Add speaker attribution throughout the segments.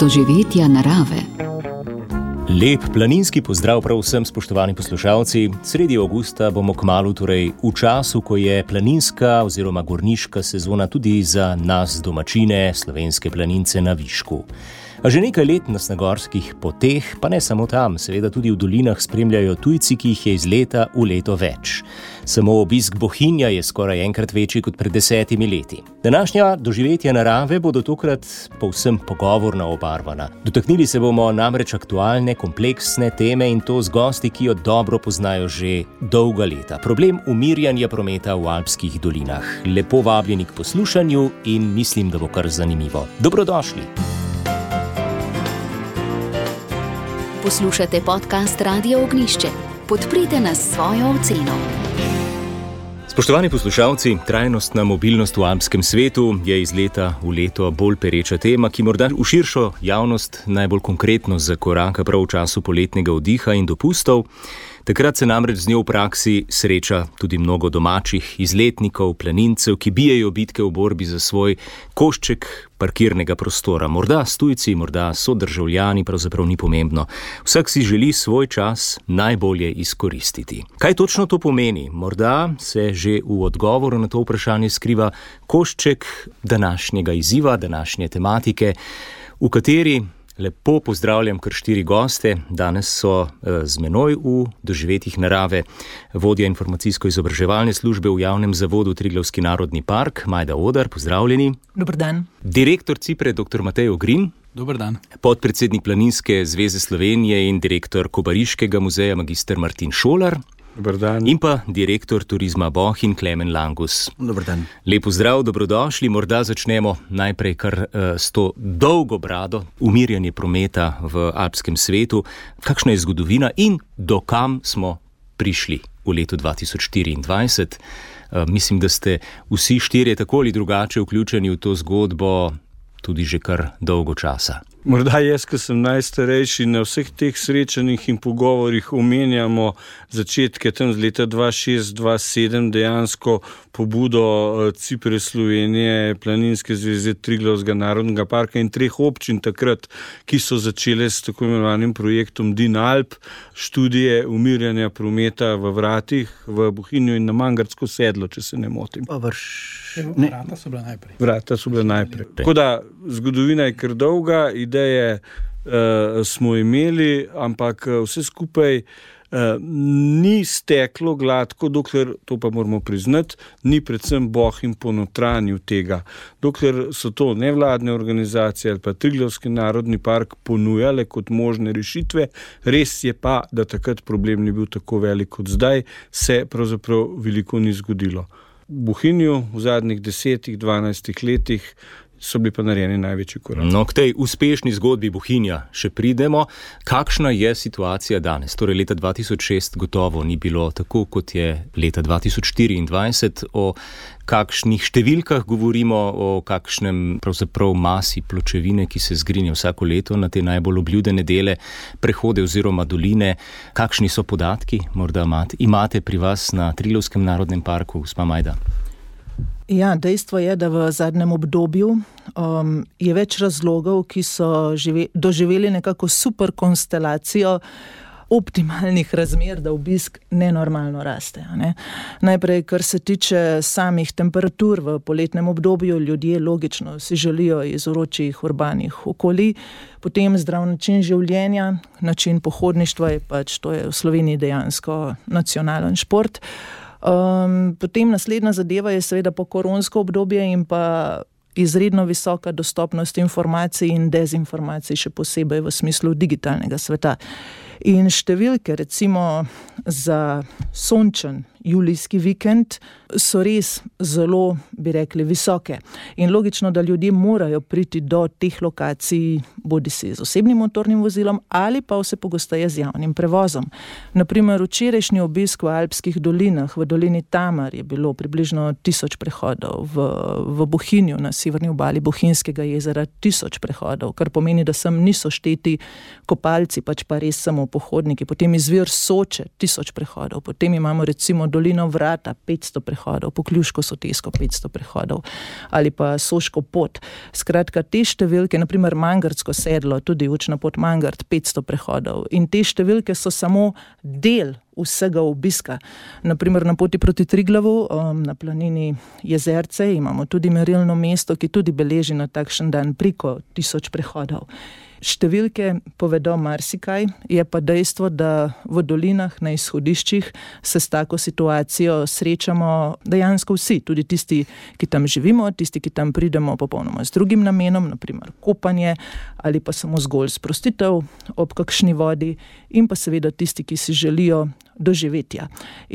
Speaker 1: doživetja narave.
Speaker 2: Lep planinski pozdrav prav vsem, spoštovani poslušalci. Sredi avgusta bomo kmalu, torej v času, ko je planinska oziroma gorniška sezona tudi za nas domačine, slovenske planince na višku. A že nekaj let nas na gorskih poteh, pa ne samo tam, seveda tudi v dolinah spremljajo tujci, ki jih je iz leta v leto več. Samo obisk Bohinja je skoraj enkrat večji kot pred 10 leti. Današnja doživetja narave bodo tokrat povsem pogovorno obarvana. Dotaknili se bomo namreč aktualne, kompleksne teme in to z gosti, ki jo dobro poznajo že dolga leta. Problem umirjanja prometa v alpskih dolinah. Lepo vabljeni k poslušanju in mislim, da bo kar zanimivo. Dobrodošli!
Speaker 1: Poslušate podcast Radia Ognjišče. Podprite nas s svojo oceno.
Speaker 2: Spoštovani poslušalci, trajnostna mobilnost v alpskem svetu je iz leta v leto bolj pereča tema, ki morda v širšo javnost najbolj konkretno zakoraka prav v času poletnega oddiha in dopustov. Takrat se namreč z njo v praksi sreča tudi mnogo domačih izletnikov, planincev, ki bijejo bitke v borbi za svoj košček parkirnega prostora. Morda s tujci, morda sodržavljani, pravzaprav ni pomembno. Vsak si želi svoj čas najbolje izkoristiti. Kaj točno to pomeni? Morda se že v odgovoru na to vprašanje skriva košček današnjega izziva, današnje tematike, v kateri lepo pozdravljam kar 4 goste. Danes so z menoj v doživetjih narave vodja informacijsko-izobraževalne službe v javnem zavodu Triglavski narodni park, Majda Odar, pozdravljeni.
Speaker 3: Dober dan.
Speaker 2: Direktor Cipre, dr. Matej Ogrin.
Speaker 4: Dober dan.
Speaker 2: Podpredsednik Planinske zveze Slovenije in direktor Kobariškega muzeja, magister Martin Šolar.
Speaker 4: Dober dan.
Speaker 2: In pa direktor Turizma Bohinj, Klemen Langus.
Speaker 4: Dober dan.
Speaker 2: Lep pozdrav, dobrodošli. Morda začnemo najprej kar s to dolgo brado, umirjanje prometa v alpskem svetu. Kakšna je zgodovina in do kam smo prišli v letu 2024? Mislim, da ste vsi 4 tako ali drugače vključeni v to zgodbo tudi že kar dolgo časa.
Speaker 4: Morda jaz, ki sem najstarejši, na vseh teh srečanjih in pogovorih omenjamo začetke tam z leta 2006-2007, dejansko pobudo Cipre Slovenije, Planinske zveze Triglavskega narodnega parka in 3 občin takrat, ki so začele s tako imenovanim projektom DIN-Alp, študije umirjanja prometa v Vratih, v Bohinju in na Mangartsko sedlo, če se ne motim.
Speaker 3: Vrata so bila najprej.
Speaker 4: Vrata so bila najprej. Tako da zgodovina je kar dolga, ideje smo imeli, ampak vse skupaj ni steklo gladko, dokler, to pa moramo priznati, ni predvsem Bohinj ponotranjil tega. Dokler so to nevladne organizacije ali pa Triglavski narodni park ponujale kot možne rešitve, res je pa, da takrat problem ni bil tako velik kot zdaj, se pravzaprav veliko ni zgodilo. V Bohinju v zadnjih 10-12 letih so bili pa narejeni največji korak.
Speaker 2: No, k tej uspešni zgodbi Bohinja še pridemo. Kakšna je situacija danes? Torej, leta 2006 gotovo ni bilo tako, kot je leta 2024. O kakšnih številkah govorimo, o kakšnem pravzaprav masi pločevine, ki se zgrinja vsako leto na te najbolj obljudene dele, prehode oziroma doline. Kakšni so podatki? Morda imate pri vas na Triglavskem narodnem parku, gospa Majda?
Speaker 3: Ja, dejstvo je, da v zadnjem obdobju je več razlogov, ki so doživeli nekako super konstelacijo optimalnih razmer, da obisk nenormalno raste. Ne? Najprej, kar se tiče samih temperatur v poletnem obdobju, ljudje logično si želijo iz vročih urbanih okolij, potem zdrav način življenja, način pohodništva je pač, to je v Sloveniji dejansko nacionalen šport. Potem naslednja zadeva je seveda pokoronsko obdobje in pa izredno visoka dostopnost informacij in dezinformacij, še posebej v smislu digitalnega sveta. In številke, recimo za sončen julijski vikend, so res zelo, bi rekli, visoke. In logično, da ljudje morajo priti do teh lokacij, bodisi z osebnim motornim vozilom ali pa vse pogosteje z javnim prevozom. Naprimer, včerajšnji obisk v alpskih dolinah, v dolini Tamar je bilo približno 1000 prehodov, v Bohinju na severni obali Bohinjskega jezera 1000 prehodov, kar pomeni, da sem niso šteti kopalci, pač pa res samo pohodniki. Potem izvir Soče 1000 prehodov, potem imamo recimo dolino Vrata 500 prehodov, po Kljuško Sotesko 500 prehodov ali pa Soško pot. Skratka, te številke, naprimer Mangartsko sedlo, tudi učna pot Mangart 500 prehodov in te številke so samo del vsega obiska. Naprimer na poti proti Triglavu, na planini Jezerce, imamo tudi merilno mesto, ki tudi beleži na takšen dan preko 1000 prehodov. Številke povedo marsikaj, je pa dejstvo, da v dolinah na izhodiščih se s tako situacijo srečamo dejansko vsi, tudi tisti, ki tam živimo, tisti, ki tam pridemo popolnoma z drugim namenom, naprimer kopanje ali pa samo zgolj sprostitev ob kakšni vodi in pa seveda tisti, ki si želijo doživetja.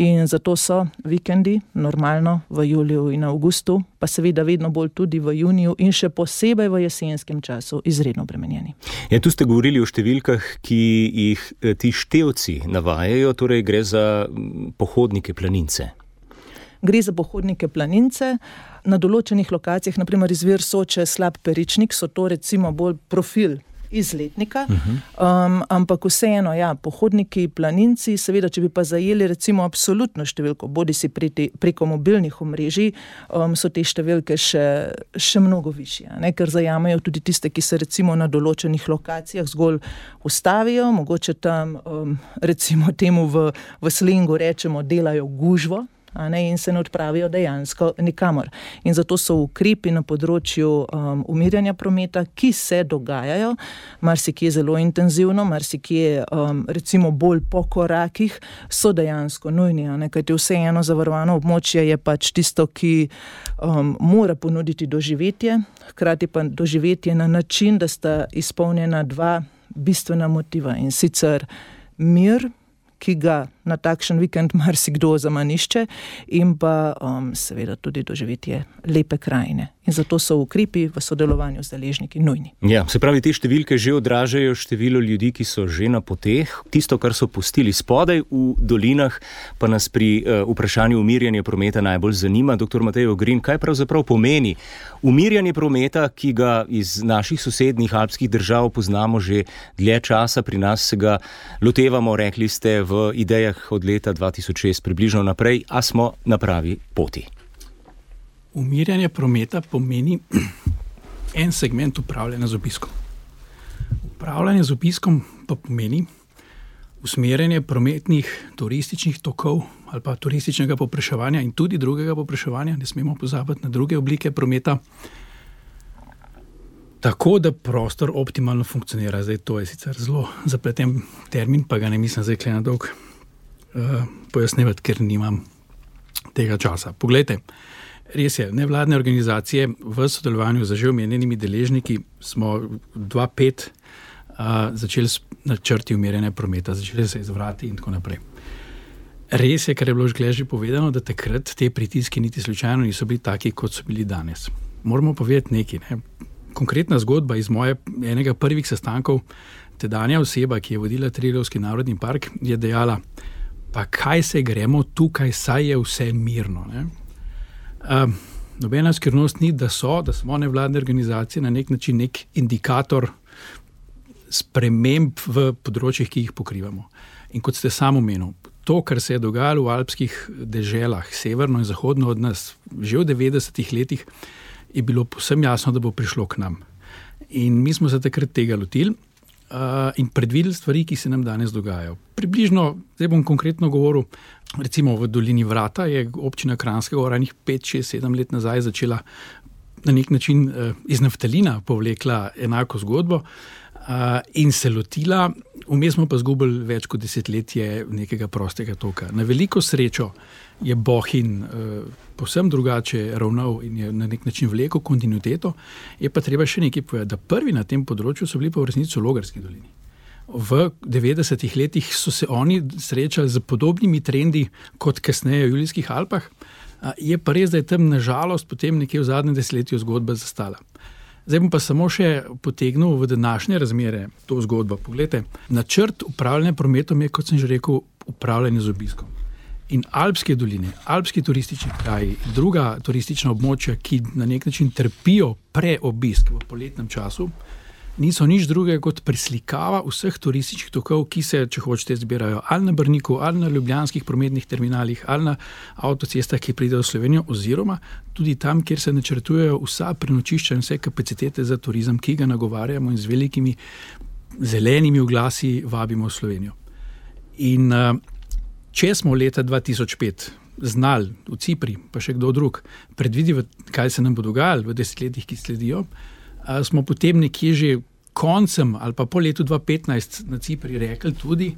Speaker 3: In zato so vikendi normalno v juliju in avgustu, pa seveda vedno bolj tudi v juniju in še posebej v jesenskem času izredno obremenjeni.
Speaker 2: Ja, tu ste govorili o številkah, ki jih ti števci navajajo, torej gre za pohodnike planince.
Speaker 3: Gre za pohodnike planince. Na določenih lokacijah, naprimer izvir Soče, Slab Peričnik, so to recimo bolj profil izletnika, ampak vseeno, ja, pohodniki, planinci, seveda, če bi pa zajeli recimo absolutno številko, bodi si preko mobilnih omrežij, so te številke še mnogo višje, ne? Ker zajamejo tudi tiste, ki se recimo na določenih lokacijah zgolj ustavijo, mogoče tam recimo temu v slengu rečemo, delajo gužvo, in se ne odpravijo dejansko nikamor. In zato so ukrepi na področju umirjanja prometa, ki se dogajajo, marsikje zelo intenzivno, marsikje recimo bolj po korakih, so dejansko nujni, kajti vseeno zavarovano območje je pač tisto, ki mora ponuditi doživetje, hkrati pa doživetje na način, da sta izpolnjena dva bistvena motiva, in sicer mir, ki ga na takšen vikend marsikdo zamanišče, in pa seveda tudi doživetje lepe krajine. In zato so ukrepi v sodelovanju z deležniki nujni.
Speaker 2: Ja, se pravi, te številke že odražajo število ljudi, ki so že na poteh. Tisto, kar so pustili spodaj v dolinah, pa nas pri vprašanju umirjanja prometa najbolj zanima. Dr. Matej Ogrin, kaj pravzaprav pomeni umirjanje prometa, ki ga iz naših sosednjih alpskih držav poznamo že dlje časa, pri nas se ga lotevamo, rekli ste, v idejah od leta 2006 približno naprej, a smo na pravi poti?
Speaker 5: Umirjanje prometa pomeni en segment upravljanja z obiskom. Upravljanje z obiskom pa pomeni usmerjanje prometnih turističnih tokov ali pa turističnega povpraševanja in tudi drugega povpraševanja, ne smemo pozabiti na druge oblike prometa, tako da prostor optimalno funkcionira. Zdaj, to je sicer zelo zapleten termin, pa ga ne mislim zdaj kle na dolg pojasnevati, ker nimam tega časa. Poglejte, res je, nevladne organizacije v sodelovanju z že omenjenimi deležniki smo 2005 začeli s načrti umirjanja prometa, začeli se izvrati in tako naprej. Res je, kar je bilo že povedano, da takrat te pritiski niti slučajno niso bili taki, kot so bili danes. Moramo povedati nekaj, ne? Konkretna zgodba iz moje enega prvih sestankov, tedanja oseba, ki je vodila Triglavski narodni park, je dejala, pa kaj se gremo tukaj, saj je vse mirno. Ne? Nobena skrivnost ni, da smo nevladne organizacije na nek način nek indikator sprememb v področjih, ki jih pokrivamo. In kot ste sam omenil, to, kar se je dogajalo v alpskih deželah, severno in zahodno od nas, že v 90-ih letih, je bilo povsem jasno, da bo prišlo k nam. In mi smo se takrat tega lotili in predvideli stvari, ki se nam danes dogajajo. Približno, zdaj bom konkretno govoril, recimo v dolini Vrata je občina Kranjska Gora 5, 6, 7 let nazaj začela na nek način iz naftalina povlekla enako zgodbo in se lotila, vmes smo pa zgubili več kot desetletje nekega prostega toka. Na veliko srečo je Bohinj povsem drugače ravnal in je na nek način vlekel kontinuiteto, je pa treba še nekaj povedati, da prvi na tem področju so bili pa v resnici v Logarski dolini. V 90-ih letih so se oni srečali z podobnimi trendi kot kasneje v Julijskih Alpah, je pa res, da je tam nažalost potem nekje v zadnjem desetletju zgodba zastala. Zdaj bom pa samo še potegnil v današnje razmere to zgodbo. Poglejte, načrt upravljanja prometom je, kot sem že rekel, upravljanje z obiskom. In alpske doline, alpski turistični kraji, druga turistična območja, ki na nek način trpijo preobisk v poletnem času, niso nič drugega kot preslikava vseh turističnih tokov, ki se, če hočete, zbirajo ali na Brniku, ali na ljubljanskih prometnih terminalih, ali na avtocestah, ki pridejo v Slovenijo, oziroma tudi tam, kjer se načrtujejo vsa prenočišča in vse kapacitete za turizem, ki ga nagovarjamo in z velikimi zelenimi oglasi vabimo v Slovenijo. In če smo leta 2005 znali v Cipri, pa še kdo drug, predvideti, kaj se nam bo dogajalo v desetletjih, ki sledijo, smo potem nekje že koncem ali pa po letu 2015 na Cipri rekli tudi,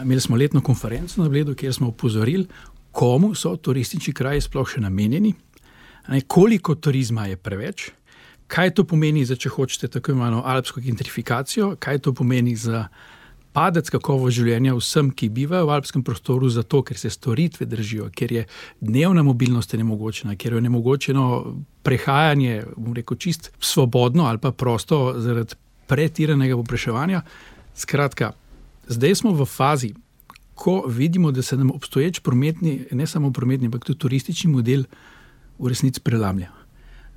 Speaker 5: imeli smo letno konferenco na Bledu, kjer smo opozorili, komu so turistični kraji sploh še namenjeni, koliko turizma je preveč, kaj to pomeni za, če hočete, tako imenovano alpsko gentrifikacijo, kaj to pomeni za padec kakovost življenja vsem, ki bivajo v alpskem prostoru, zato ker se storitve držijo, ker je dnevna mobilnost nemogočena, ker je nemogočeno prehajanje, bom rekel, čist svobodno ali pa prosto zaradi pretiranega povpraševanja. Skratka, zdaj smo v fazi, ko vidimo, da se nam obstoječ prometni, ne samo prometni, ampak tudi turistični model v resnici prelamlja.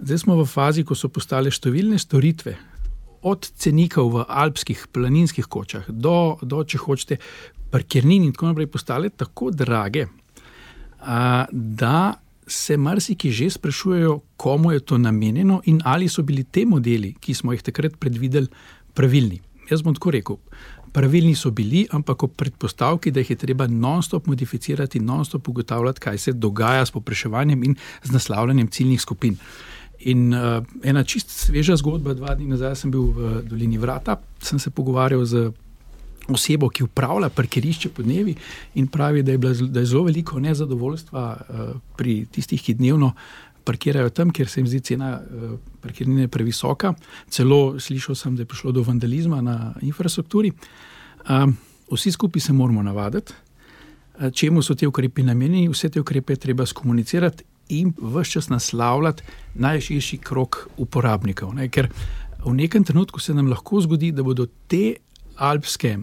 Speaker 5: Zdaj smo v fazi, ko so postale številne storitve, od cenikov v alpskih planinskih kočah do, če hočete, parkirnin in tako naprej postale tako drage, da se marsiki že sprašujejo, komu je to namenjeno in ali so bili te modeli, ki smo jih takrat predvideli, pravilni. Jaz bom tako rekel, pravilni so bili, ampak ob predpostavki, da jih je treba non-stop modificirati, non-stop ugotavljati, kaj se dogaja s povpraševanjem in z naslavljanjem ciljnih skupin. In ena čist sveža zgodba, 2 dni nazaj sem bil v Dolini Vrata, sem se pogovarjal z osebo, ki upravlja parkirišče po dnevi in pravi, da je zelo veliko nezadovoljstva pri tistih, ki dnevno parkirajo tam, kjer se jim zdi cena parkirnine previsoka. Celo slišal sem, da je prišlo do vandalizma na infrastrukturi. Vsi skupaj se moramo navaditi, čemu so te ukrepe namenjeni, vse te ukrepe je treba skomunicirati in ves čas naslavljati najširši krog uporabnikov. Ker v nekem trenutku se nam lahko zgodi, da bodo te alpske,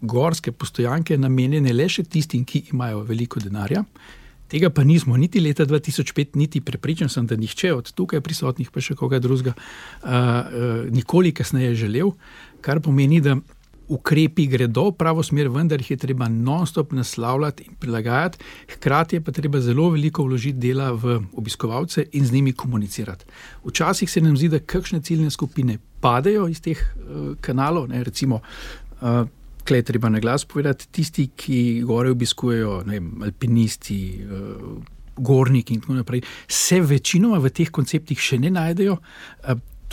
Speaker 5: gorske postojanke namenjene le še tistim, ki imajo veliko denarja. Tega pa nismo niti leta 2005, niti prepričan sem, da nihče od tukaj prisotnih, pa še koga drugega, nikoli kasneje želel, kar pomeni, da ukrepi gredo v pravo smer, vendar jih je treba non-stop naslavljati in prilagajati, hkrati je pa treba zelo veliko vložiti dela v obiskovalce in z njimi komunicirati. Včasih se nam zdi, da kakšne ciljne skupine padejo iz teh kanalov, recimo, tukaj je treba na glas povedati, tisti, ki gore obiskujejo, alpinisti, gorniki in tako naprej, se večinoma v teh konceptih še ne najdejo.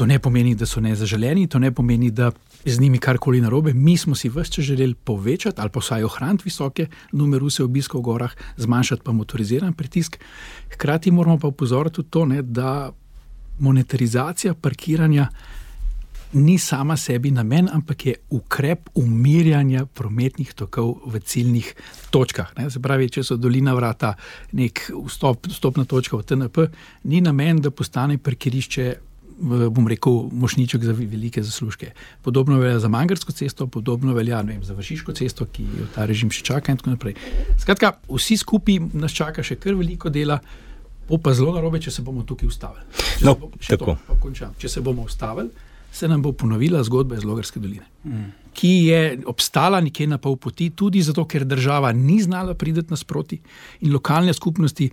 Speaker 5: To ne pomeni, da so nezaželeni, to ne pomeni, da z njimi karkoli narobe. Mi smo si ves čas želeli povečati ali pa vsaj ohraniti visoke numeruse obiskov v gorah, zmanjšati pa motoriziran pritisk. Hkrati moramo pa upozoriti tudi to, da monetarizacija parkiranja ni sama sebi namen, ampak je ukrep umirjanja prometnih tokov v ciljnih točkah. Se pravi, če so Dolina Vrata nek vstopna točka v TNP, ni namen, da postane parkirišče, bom rekel, mošnjiček za velike zaslužke. Podobno velja za Mangarsko cesto, podobno velja, za Vršiško cesto, ki jo ta režim še čaka in tako naprej. Skratka, vsi skupaj nas čaka še kar veliko dela, bo pa zelo narobe, če se bomo tukaj ustavili. Če se bomo ustavili, se nam bo ponovila zgodba iz Logarske doline, ki je obstala nekje na pol poti, tudi zato, ker država ni znala priti nasproti in lokalne skupnosti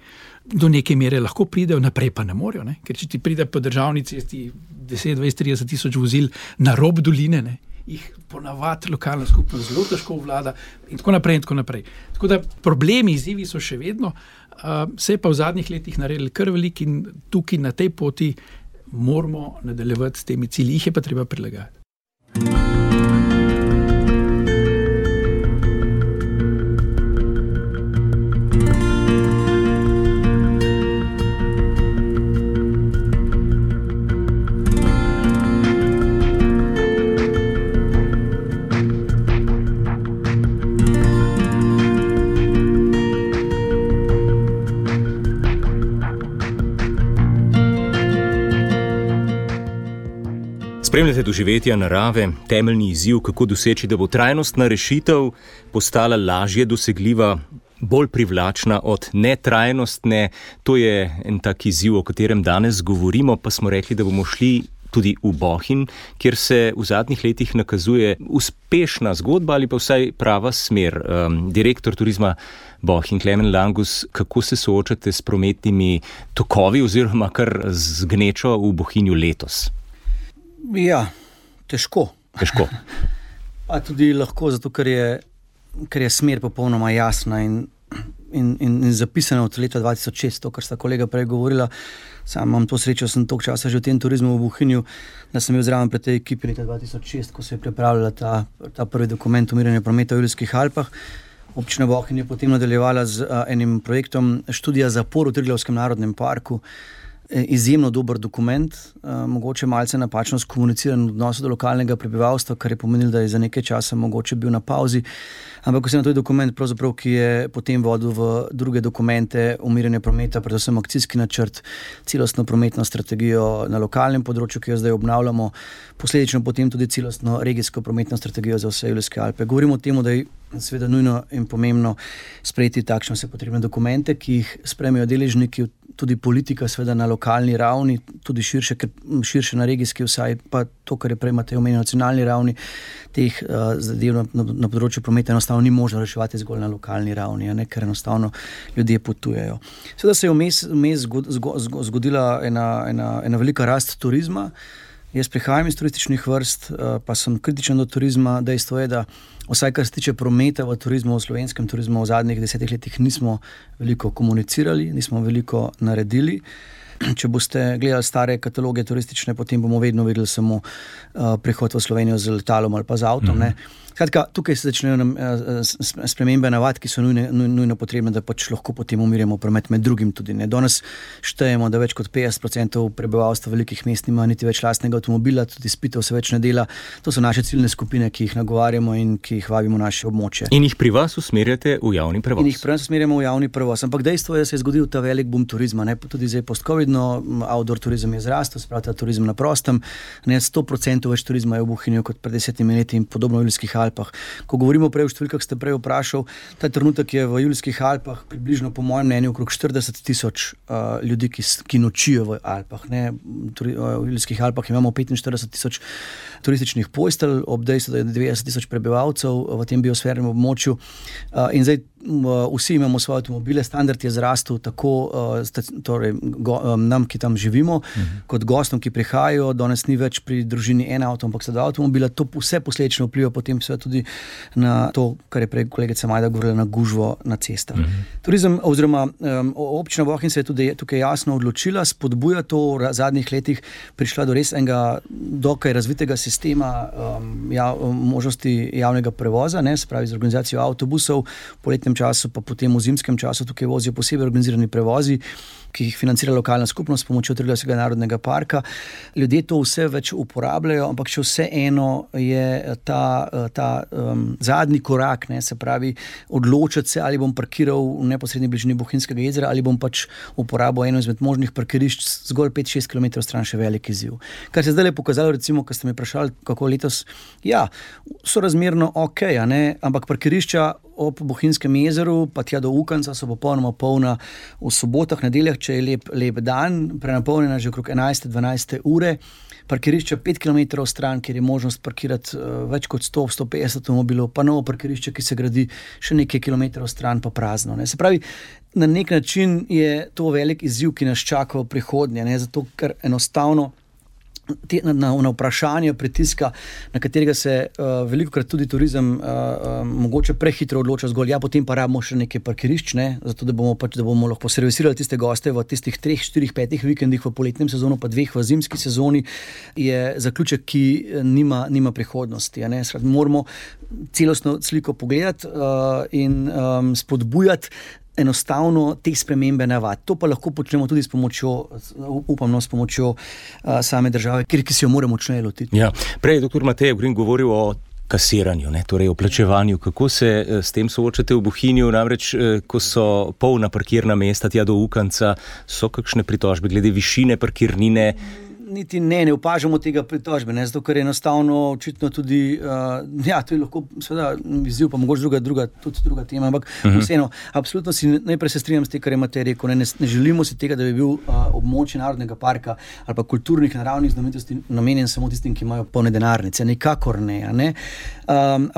Speaker 5: do neke mere lahko pridejo, naprej pa ne morejo, ker če ti pride po državni cesti 10, 20, 30 tisoč vozil na rob doline, jih ponavadi lokalna skupnost zelo težko vlada in tako naprej in tako naprej. Tako da problemi, izzivi so še vedno, se je pa v zadnjih letih naredili kar veliko in tukaj na tej poti moramo nadaljevati s temi cilji, jih je pa treba prilagajati.
Speaker 2: Spremljate doživetja narave, temeljni izziv, kako doseči, da bo trajnostna rešitev postala lažje dosegljiva, bolj privlačna od netrajnostne. To je en tak izziv, o katerem danes govorimo, pa smo rekli, da bomo šli tudi v Bohinj, kjer se v zadnjih letih nakazuje uspešna zgodba ali pa vsaj prava smer. Direktor turizma Bohinj, Klemen Langus, kako se soočate s prometnimi tokovi oziroma kar z gnečo v Bohinju letos?
Speaker 6: Ja, težko. Pa tudi lahko, zato ker je smer popolnoma jasna in zapisana od leta 2006, to, kar sta kolega prej govorila. Sam imam to srečo, sem toliko časa že v tem turizmu v Bohinju, da sem bil zraven pred tej ekipi leta 2006, ko se je pripravljala ta prvi dokument umiranja prometa v Julijskih Alpah. Občina Bohinj je potem nadaljevala z enim projektom študija zapor v Triglavskem narodnem parku. Izjemno dober dokument, mogoče malce napačno skomuniciran v odnosu do lokalnega prebivalstva, kar je pomenilo, da je za nekaj časa mogoče bil na pauzi. Ampak vseeno to je dokument, pravzaprav, ki je potem vodil v druge dokumente umiranja prometa, predvsem akcijski načrt, celostno prometno strategijo na lokalnem področju, ki jo zdaj obnavljamo, posledično potem tudi celostno regijsko prometno strategijo za vse Julijske Alpe. Govorimo o tem, da je seveda nujno in pomembno sprejeti takšne vse potrebne dokumente, ki jih sprejmejo deležniki, tudi politika seveda na lokalni ravni, tudi širše na regijski vsaj, pa to, kar je prej Matej omenil, na nacionalni ravni, teh zadev na področju prometa enostavno ni možno reševati zgolj na lokalni ravni, ker enostavno ljudje potujejo. Seveda se je vmes zgodila ena velika rast turizma. Jaz prihajam iz turističnih vrst, pa sem kritičen do turizma. Dejstvo je, da vsaj kar se tiče prometa v turizmu, v slovenskem turizmu v zadnjih 10 letih nismo veliko komunicirali, nismo veliko naredili. Če boste gledali stare kataloge turistične, potem bomo vedno videli samo prihod v Slovenijo z letalom ali pa z avtom. Skratka, tukaj se začnejo spremembe navad, ki so nujno potrebne, da pač lahko potem umirjamo promet med drugim tudi. Danes štejemo, da več kot 50% prebivalstva velikih mest nima niti več lastnega avtomobila, tudi izpitev se več ne dela. To so naše ciljne skupine, ki jih nagovarjamo in ki jih vabimo v naše območje.
Speaker 2: In jih pri vas usmerjate v javni prevoz?
Speaker 6: In jih pri nas usmerjamo v javni prevoz. Ampak dejstvo je, da se je zgodil ta velik boom turizma. Tudi zdaj post-covidno outdoor turizem je zrastel, spravi ta turizem na prostem. 100% več turizma je v Bohinju kot pred 10 leti in podobno v Julijskih Alpah. Ko govorimo prej o številkah, ste prej vprašal, ta trenutek je v Julijskih Alpah približno, po mojem mnenju, okrog 40,000 ljudi, ki nočijo v Alpah. V Julijskih Alpah imamo 45,000 turističnih postelj, ob dejstvu, da je 90,000 prebivalcev v tem biosfernem območju. In zdaj vsi imamo svoje avtomobile, standard je zrastel tako nam, ki tam živimo, kot gostom, ki prihajajo. Danes ni več pri družini en avto, ampak so dva avtomobila. To vse posledično vpliva potem tudi na to, kar je prej kolegica Majda govorila, na gužvo na cestah. Turizem oziroma občina Bohinj se je tudi tukaj jasno odločila, spodbuja to v zadnjih letih, prišla do res enega dokaj razvitega sistema možnosti javnega prevoza, se pravi z organizacijo avtobusov, v poletnem času, pa potem v zimskem času tukaj vozijo posebej organizirani prevozi, ki jih financira lokalna skupnost s pomočjo Triglavskega narodnega parka. Ljudje to vse več uporabljajo, ampak še vseeno je ta zadnji korak, se pravi odločiti se, ali bom parkiral v neposredni bližini Bohinjskega jezera ali bom pač uporabil eno izmed možnih parkirišč zgolj 5-6 km stran, še velik izziv. Kar se zdaj je pokazalo, recimo, ko ste me vprašali, kako letos, so razmerno ok, ampak parkirišča ob Bohinjskem jezeru, pa tja do Ukanca so popolnoma polna v sobotah, nedeljah, če je lep dan, prenapolnjena že okrog 11-12 ure. Parkirišče 5 km stran, kjer je možnost parkirati več kot 100-150 avtomobilov, pa novo parkirišče, ki se gradi še nekaj kilometrov stran, pa prazno. Se pravi, na nek način je to velik izziv, ki nas čaka v prihodnje, zato ker enostavno na vprašanje pritiska, na katerega se velikokrat tudi turizem mogoče prehitro odloča zgolj, potem pa rabimo še nekaj parkirišč, zato da bomo lahko servisirali tiste goste v tistih 3, 4, 5 vikendih v poletnem sezonu, pa 2 v zimski sezoni, je zaključek, ki nima prihodnosti. Moramo celostno sliko pogledati in spodbujati enostavno te spremembe navad. To pa lahko počnemo tudi s pomočjo same države, ki se jo moramo močneje lotiti.
Speaker 2: Prej je dr. Matej Ogrin govoril o kasiranju, torej o plačevanju. Kako se s tem soočate v Bohinju? Namreč, ko so polna parkirna mesta tja do Ukanca, so kakšne pritožbe glede višine parkirnine?
Speaker 6: niti ne opažamo tega pritožbe, ne, zato ker je enostavno očitno tudi, to je lahko seveda izziv, pa mogoče druga tema, ampak vseeno, absolutno najprej se strinjam s tem, kar imate rekel, ne želimo si tega, da bi bil območje narodnega parka ali pa kulturnih naravnih znamenitosti namenjen samo tistim, ki imajo polne denarnice, nikakor ne.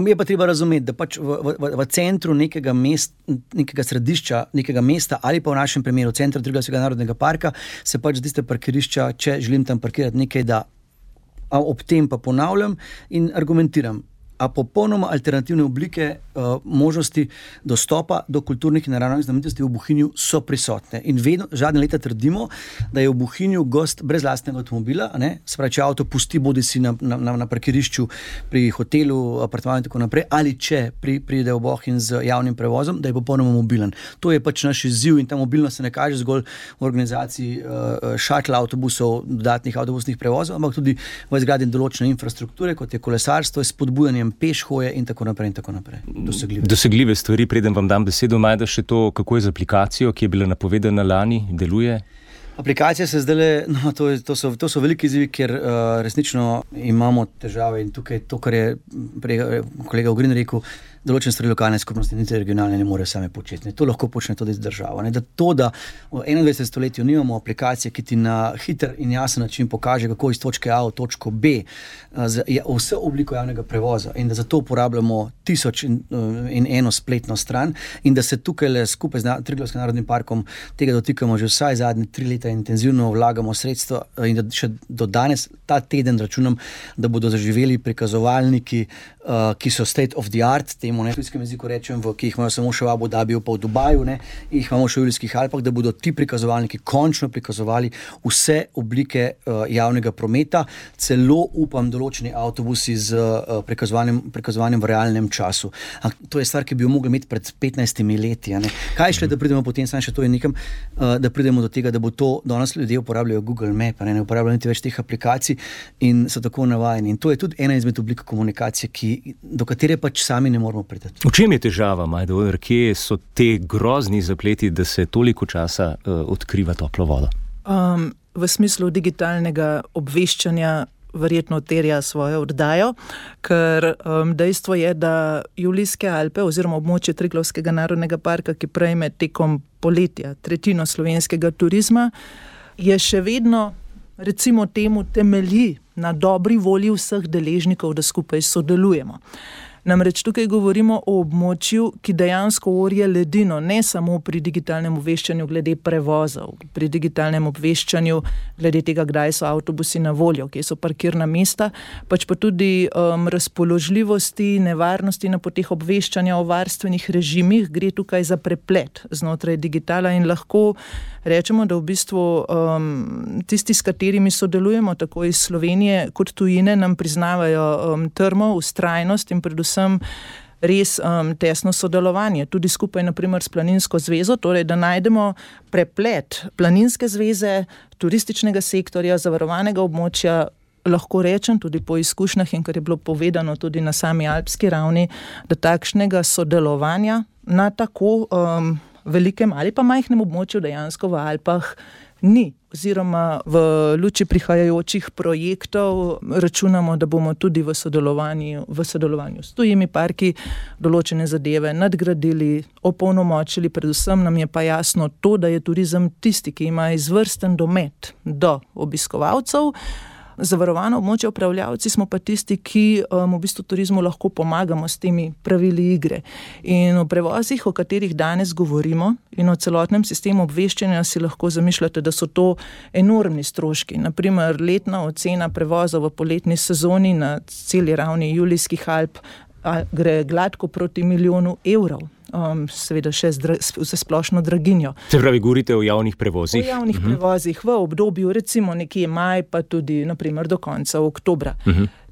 Speaker 6: Je pa treba razumeti, da pač v centru nekega središča, nekega mesta ali pa v našem primeru centra Triglavskega narodnega parka se pač tiste parkirišča, če želim tam parkirati nekaj, da ob tem pa ponavljam in argumentiram, a popolnoma alternativne oblike možnosti dostopa do kulturnih in naravnih znamenitosti v Bohinju so prisotne. In vedno, zadnje leta trdimo, da je v Bohinju gost brez lastnega avtomobila, se pravi, če avto pusti bodisi na parkirišču pri hotelu, apartmanu in tako naprej, ali če pride v Bohinj z javnim prevozom, da je popolnoma mobilen. To je pač naš izziv in ta mobilnost se ne kaže zgolj v organizaciji šatl avtobusov, dodatnih avtobusnih prevozov, ampak tudi v izgradnji določene infrastrukture, kot je kolesarstvo, spodbujanjem peš hoje in tako naprej.
Speaker 2: Dosegljive stvari, preden vam dam besedo, Majda, še to, kako je z aplikacijo, ki je bila napovedana lani, deluje?
Speaker 6: Aplikacija se zdaj, to so veliki izzivi, ker resnično imamo težave in tukaj to, kar je kolega Ogrin rekel, določene stvari lokalne skupnosti, niti regionalne ne morejo same početi. To lahko počne tudi država. Da v 21. stoletju nimamo aplikacije, ki ti na hiter in jasen način pokaže, kako iz točke A v točko B vse obliko javnega prevoza in da zato uporabljamo 1001 spletno stran in da se tukaj skupaj z Triglavskim narodnim parkom tega dotikamo že vsaj zadnje 3 leta in intenzivno vlagamo sredstva in da še do danes, ta teden računam, da bodo zaživeli prikazovalniki, ki so state of the art, temu v tujskem jeziku rečem, ki jih imajo samo še v Abu Dhabiju pa v Dubaju, jih imamo še v Julijskih Alpah, da bodo ti prikazovalniki končno prikazovali vse oblike javnega prometa, celo upam določeni avtobusi z prikazovanjem v realnem času. To je stvar, ki bi jo mogli imeti pred 15 leti. Kaj šle, da pridemo potem, samo še to je nekam, da pridemo do tega, da bo to, danes ljudje uporabljajo Google Map, ne uporabljajo niti več teh aplikacij in so tako navajeni. In to je tudi ena izmed oblik komunikacije, do katere pač sami ne moramo priti.
Speaker 2: V čem je težava, Majda? Kje so te grozni zapleti, da se toliko časa odkriva toplo vodo?
Speaker 3: V smislu digitalnega obveščanja verjetno terja svojo oddajo, ker dejstvo je, da Julijske Alpe oziroma območje Triglavskega narodnega parka, ki prejme tekom poletja tretjino slovenskega turizma, je še vedno, recimo temu, temelji na dobri volji vseh deležnikov, da skupaj sodelujemo. Namreč tukaj govorimo o območju, ki dejansko orje ledino, ne samo pri digitalnem obveščanju glede prevozov, pri digitalnem obveščanju glede tega, kdaj so avtobusi na voljo, kje so parkirna mesta, pač pa tudi razpoložljivosti, nevarnosti na poteh obveščanja o varstvenih režimih, gre tukaj za preplet znotraj digitala in lahko rečemo, da v bistvu tisti, s katerimi sodelujemo, tako iz Slovenije kot tujine, nam priznavajo trmo, vztrajnost in predvsem res tesno sodelovanje, tudi skupaj naprimer s Planinsko zvezo, torej da najdemo preplet Planinske zveze, turističnega sektorja, zavarovanega območja, lahko rečem tudi po izkušnjah in kar je bilo povedano tudi na sami alpski ravni, da takšnega sodelovanja na tako velikem ali pa majhnem območju dejansko v Alpah ni. Oziroma v luči prihajajočih projektov računamo, da bomo tudi v sodelovanju s tujimi parki določene zadeve nadgradili, opolnomočili, predvsem nam je pa jasno to, da je turizem tisti, ki ima izvrsten domet do obiskovalcev. Zavarovano območje upravljavci smo pa tisti, ki v bistvu turizmu lahko pomagamo s temi pravili igre. In o prevozih, o katerih danes govorimo in o celotnem sistemu obveščanja si lahko zamišljate, da so to enormni stroški. Naprimer, letna ocena prevozov v poletni sezoni na celi ravni Julijskih Alp gre gladko proti 1 milijonu evrov. Seveda še za splošno draginjo.
Speaker 2: Se pravi, govorite o javnih prevozih?
Speaker 3: O javnih prevozih v obdobju recimo nekje maj, pa tudi naprimer do konca oktobra.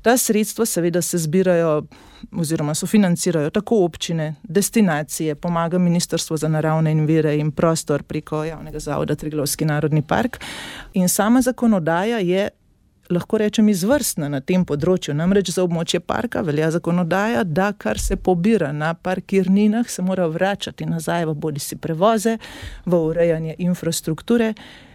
Speaker 3: Ta sredstva seveda se zbirajo oziroma sofinancirajo tako občine, destinacije, pomaga Ministrstvo za naravne vire in prostor preko javnega zavoda Triglavski narodni park in sama zakonodaja je, lahko rečem, izvrstna na tem področju. Namreč za območje parka velja zakonodaja, da kar se pobira na parkirninah, se mora vračati nazaj v bodisi prevoze, v urejanje infrastrukture.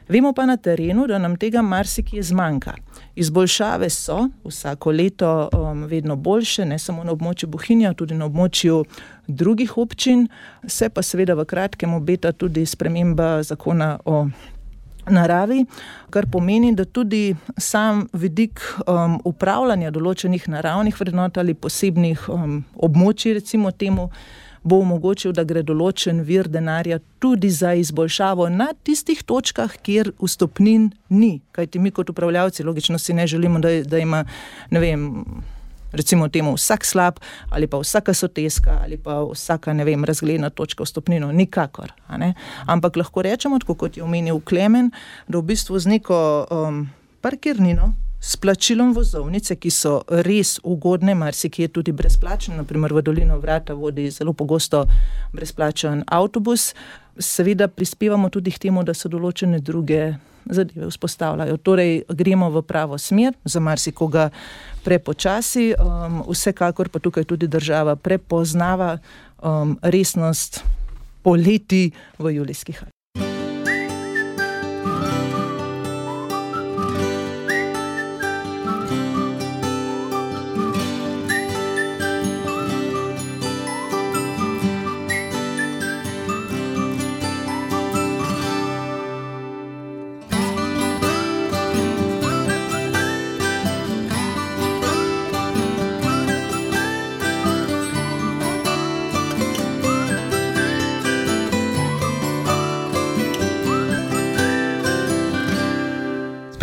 Speaker 3: Vemo pa na terenu, da nam tega marsikje zmanjka. Izboljšave so vsako leto vedno boljše, ne samo na območju Bohinja, tudi na območju drugih občin. Se pa seveda v kratkem obeta tudi sprememba zakona o naravi, kar pomeni, da tudi sam vidik upravljanja določenih naravnih vrednot ali posebnih območij, recimo temu, bo omogočil, da gre določen vir denarja tudi za izboljšavo na tistih točkah, kjer vstopnin ni. Kajti mi kot upravljavci logično si ne želimo, da ima, ne vem, recimo temu vsak slab ali pa vsaka soteska ali pa vsaka, ne vem, razgledna točka vstopnino. Nikakor. A ne? Ampak lahko rečemo, tako kot je omenil Klemen, da v bistvu z neko parkirnino, s plačilom vozovnice, ki so res ugodne, marsikje tudi brezplačne, naprimer v Dolino Vrata vodi zelo pogosto brezplačen avtobus, seveda prispevamo tudi k temu, da se določene druge zadeve vzpostavljajo. Torej, gremo v pravo smer, za marsikoga prepočasi, vsekakor pa tukaj tudi država prepoznava resnost poleti v Julijskih Alpah.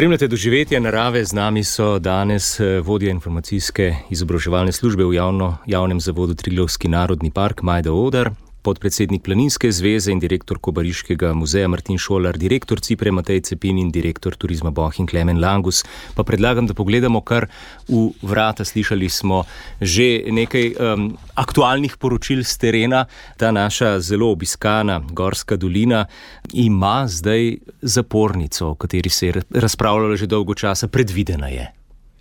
Speaker 2: Spremljate doživetje narave, z nami so danes vodja informacijske izobraževalne službe v javnem zavodu Triglavski narodni park Majda Odar, podpredsednik Planinske zveze in direktor Kobariškega muzeja Martin Šolar, direktor Cipre Matej Cepin in direktor Turizma Bohinj Klemen Langus. Pa predlagam, da pogledamo kar v Vrata. Slišali smo že nekaj aktualnih poročil z terena. Ta naša zelo obiskana Gorska dolina ima zdaj zapornico, o kateri se je razpravljalo že dolgo časa. Predvidena je.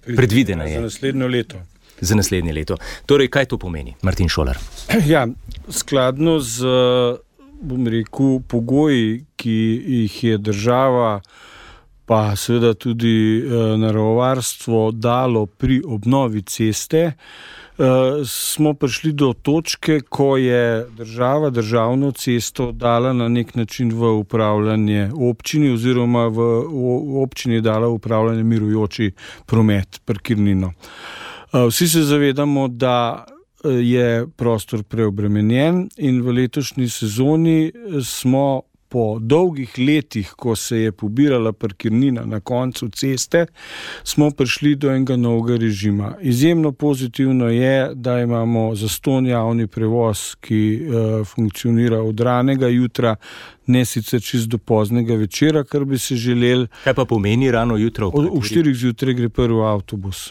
Speaker 4: Za naslednje leto.
Speaker 2: Za naslednje leto. Torej, kaj to pomeni, Martin Šolar?
Speaker 4: Ja, skladno z, bom rekel, pogoji, ki jih je država, pa seveda tudi naravovarstvo dalo pri obnovi ceste, smo prišli do točke, ko je država državno cesto dala na nek način v upravljanje občini oziroma v občini dala upravljanje mirujoči promet, parkirnino. Vsi se zavedamo, da je prostor preobremenjen in v letošnji sezoni smo po dolgih letih, ko se je pobirala parkirnina na koncu ceste, smo prišli do enega novega režima. Izjemno pozitivno je, da imamo zastonj javni prevoz, ki funkcionira od ranega jutra, ne sicer čist do poznega večera, kar bi se želeli.
Speaker 2: Kaj pa pomeni rano jutro?
Speaker 4: V 4 zjutraj gre prvi avtobus.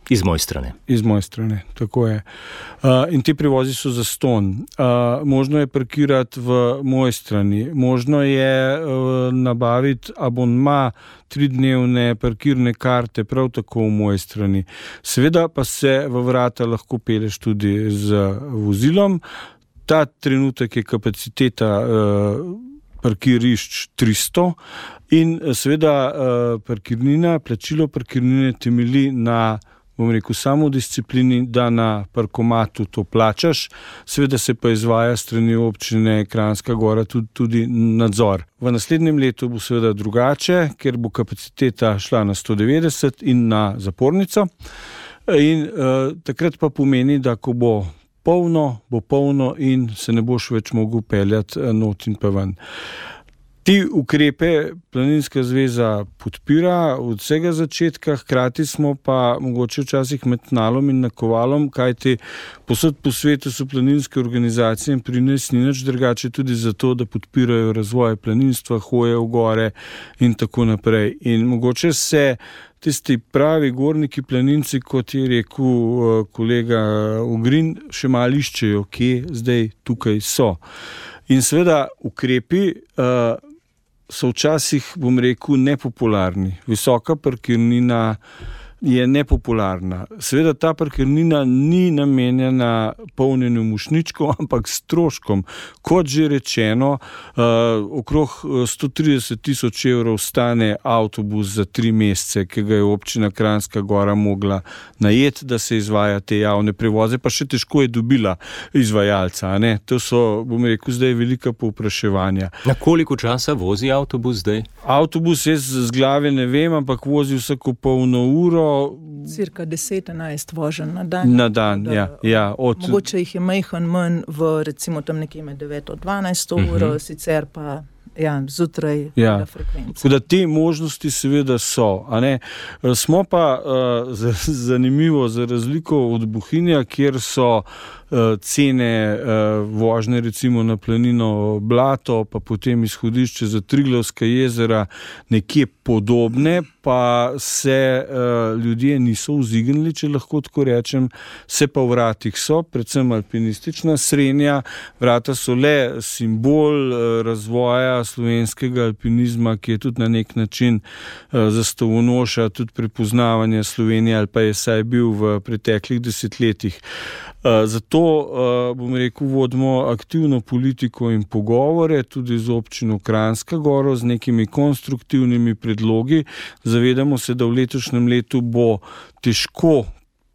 Speaker 2: Iz moje strane.
Speaker 4: Iz moje strane, tako je. In ti prevozi so zastonj. Možno je parkirati v moje strani, možno je nabaviti abonma 3-dnevne parkirne karte, prav tako v moje strani. Seveda pa se v Vrata lahko peleš tudi z vozilom. Ta trenutek je kapaciteta parkirišč 300 in seveda parkirnina, plačilo parkirnine temelji na, bom rekel, samodisciplini, da na parkomatu to plačaš, seveda se pa izvaja strani občine Kranjska Gora tudi nadzor. V naslednjem letu bo seveda drugače, ker bo kapaciteta šla na 190 in na zapornico. In takrat pa pomeni, da ko bo polno in se ne boš več mogel peljati not in pa ven. Ti ukrepe Planinska zveza podpira od vsega začetka, hkrati smo pa mogoče včasih med nalom in nakovalom, kajti posod po svetu so planinske organizacije in pri nas ni nič drugače tudi zato, da podpirajo razvoj planinstva, hoje v gore in tako naprej. In mogoče se tisti pravi gorniki planinci, kot je rekel kolega Ogrin, še malo iščejo, kje zdaj tukaj so. In seveda ukrepi so včasih, bom rekel, nepopularni. Visoka parkirnina je nepopularna. Seveda ta parkirnina ni namenjena polnjenju mošnjičkov, ampak stroškom. Kot že rečeno, okrog 130 000 evrov stane avtobus za 3 mesece, ki ga je občina Kranjska Gora mogla najeti, da se izvaja te javne prevoze, pa še težko je dobila izvajalca. Ne? To so, bom rekel, zdaj velika povpraševanja.
Speaker 2: Na koliko časa vozi avtobus zdaj?
Speaker 4: Avtobus jaz z glave ne vem, ampak vozi vsako polno uro.
Speaker 3: Cirka 10-11 voženj na dan.
Speaker 4: Na dan, ja.
Speaker 3: Mogoče jih je majhen manj v recimo tam nekje med 9-12 uro, sicer pa zjutraj frekvenca.
Speaker 4: Tako da te možnosti seveda so. A ne? Smo pa zanimivo za razliko od Bohinja, kjer so cene vožnje recimo na planino Blato, pa potem izhodišče za Triglavska jezera nekje podobne, pa se ljudje niso vzignili, če lahko tako rečem, se pa v vratih so, predvsem alpinistična srenja. Vrata so le simbol razvoja slovenskega alpinizma, ki je tudi na nek način zastavonoša, tudi prepoznavanje Slovenije, ali pa je saj bil v preteklih desetletjih. Zato, bom rekel, vodimo aktivno politiko in pogovore tudi z občino Kranjska Gora z nekimi konstruktivnimi predlogi. Zavedamo se, da v letošnjem letu bo težko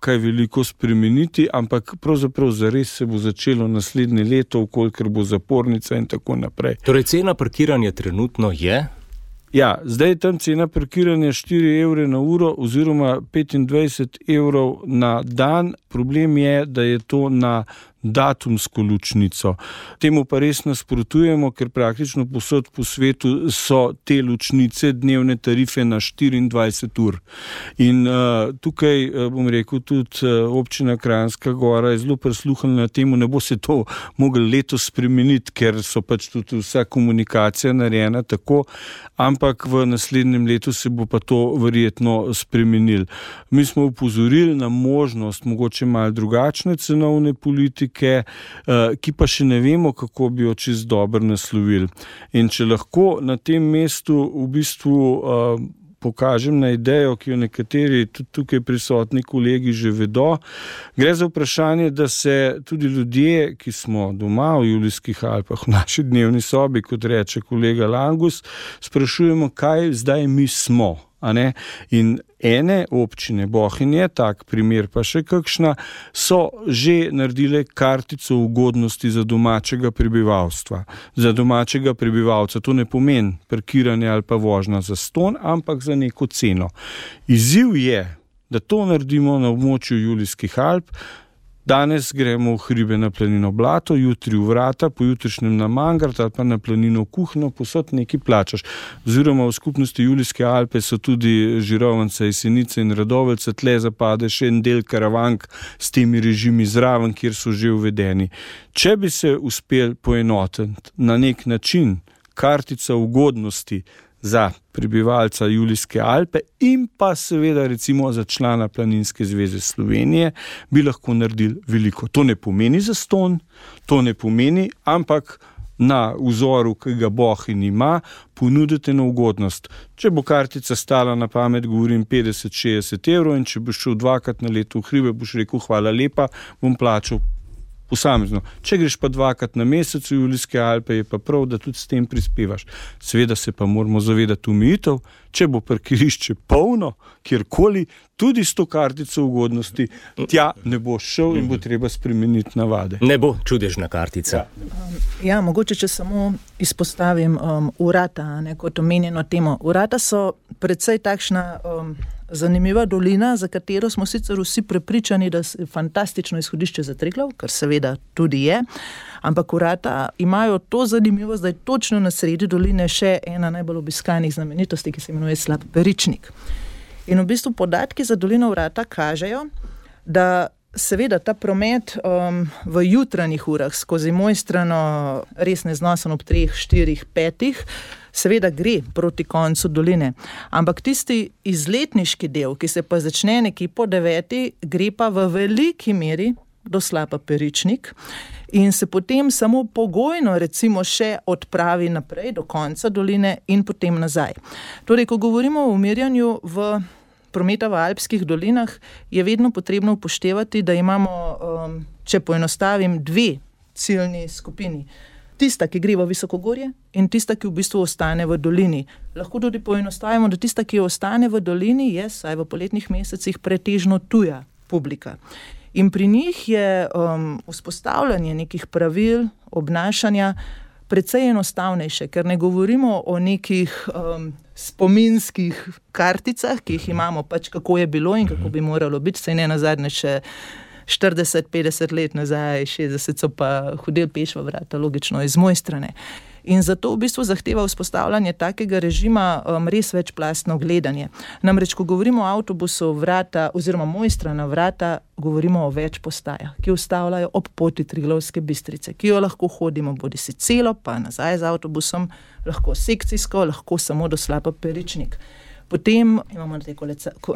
Speaker 4: kaj veliko spremeniti, ampak pravzaprav zares se bo začelo naslednje leto, ukolikor bo zapornica in tako naprej.
Speaker 2: Torej, cena parkiranja trenutno je?
Speaker 4: Ja, zdaj je tam cena parkiranja 4 evre na uro oziroma 25 evrov na dan. Problem je, da je to na datumsko ločnico. Temu pa res nasprotujemo, ker praktično povsod po svetu so te ločnice dnevne tarife na 24 ur. In tukaj, bom rekel, tudi občina Kranjska Gora je zelo prisluhnila temu, ne bo se to moglo letos spremeniti, ker so pač tudi vsa komunikacija narejena tako, ampak v naslednjem letu se bo pa to verjetno spremenilo. Mi smo upozorili na možnost mogoče malo drugačne cenovne politike, ki pa še ne vemo, kako bi jo čez dobro naslovili. In če lahko na tem mestu v bistvu pokažem na idejo, ki jo nekateri tudi tukaj prisotni kolegi že vedo, gre za vprašanje, da se tudi ljudje, ki smo doma v Julijskih Alpah, v naši dnevni sobi, kot reče kolega Langus, sprašujemo, kaj zdaj mi smo. In ene občine, Bohinj je tak primer, pa še kakšna, so že naredile kartico ugodnosti za domačega prebivalstva. Za domačega prebivalca to ne pomeni parkiranje ali pa vožnja za ston, ampak za neko ceno. Izziv je, da to naredimo na območju Julijskih Alp. Danes gremo v hribe na planino Blato, jutri v Vrata, pojutrišnjem na Mangart ali pa na planino Kuhno, posod nekaj plačaš. Oziroma v skupnosti Julijske Alpe so tudi Žirovnica, Jesenice in Radovljica, tle zapade še en del Karavank s temi režimi zraven, kjer so že uvedeni. Če bi se uspel poenotiti na nek način kartica ugodnosti za prebivalca Julijske Alpe in pa seveda recimo za člana Planinske zveze Slovenije, bi lahko naredili veliko. To ne pomeni zastonj, to ne pomeni, ampak na vzoru, ki ga Bohinj ima, ponudite na ugodnost. Če bo kartica stala na pamet, govorim 50-60 evrov, in če boš šel 2-krat na leto v hribe, boš rekel hvala lepa, bom plačal posamezno. Če greš pa 2-krat na mesec v Julijske Alpe, je pa prav, da tudi s tem prispevaš. Seveda se pa moramo zavedati omejitev, če bo parkirišče polno, kjerkoli, tudi s to kartico ugodnosti, tja ne bo šel in bo treba spremeniti navade.
Speaker 2: Ne bo čudežna kartica.
Speaker 3: Ja, mogoče, če samo izpostavim Vrata, kot omenjeno temo. Vrata so precej takšna zanimiva dolina, za katero smo sicer vsi prepričani, da je fantastično izhodišče za Triglav, kar seveda tudi je, ampak Vrata imajo to zanimivost, da je točno na sredi doline še ena najbolj obiskanih znamenitosti, ki se imenuje Slap Peričnik. In v bistvu podatki za dolino Vrata kažejo, da seveda ta promet v jutranjih urah skozi Mojstrano res neznosen ob 3, 4, 5, seveda gre proti koncu doline. Ampak tisti izletniški del, ki se pa začne nekje po 9, gre pa v veliki meri do Slapa Peričnik in se potem samo pogojno recimo še odpravi naprej do konca doline in potem nazaj. Torej, ko govorimo o umirjanju v prometa v alpskih dolinah je vedno potrebno upoštevati, da imamo, če poenostavim, 2 ciljni skupini. Tista, ki gre v visokogorje in tista, ki v bistvu ostane v dolini. Lahko tudi poenostavimo, da tista, ki ostane v dolini, je, saj v poletnih mesecih, pretežno tuja publika. In pri njih je vzpostavljanje nekih pravil obnašanja precej enostavnejše, ker ne govorimo o nekih spominskih karticah, ki jih imamo pač kako je bilo in kako bi moralo biti, saj ne nazadnje še 40-50 let nazaj, 60 so pa hodili peš v vrata, logično iz moje strani. In zato v bistvu zahteva vzpostavljanje takega režima res večplastno gledanje. Namreč, ko govorimo o avtobusu vrata oziroma Mojstrana vrata, govorimo o več postajah, ki ustavljajo ob poti Triglavske Bistrice, ki jo lahko hodimo bodisi celo, pa nazaj z avtobusom, lahko sekcijsko, lahko samo do Slapa Peričnik. Potem imamo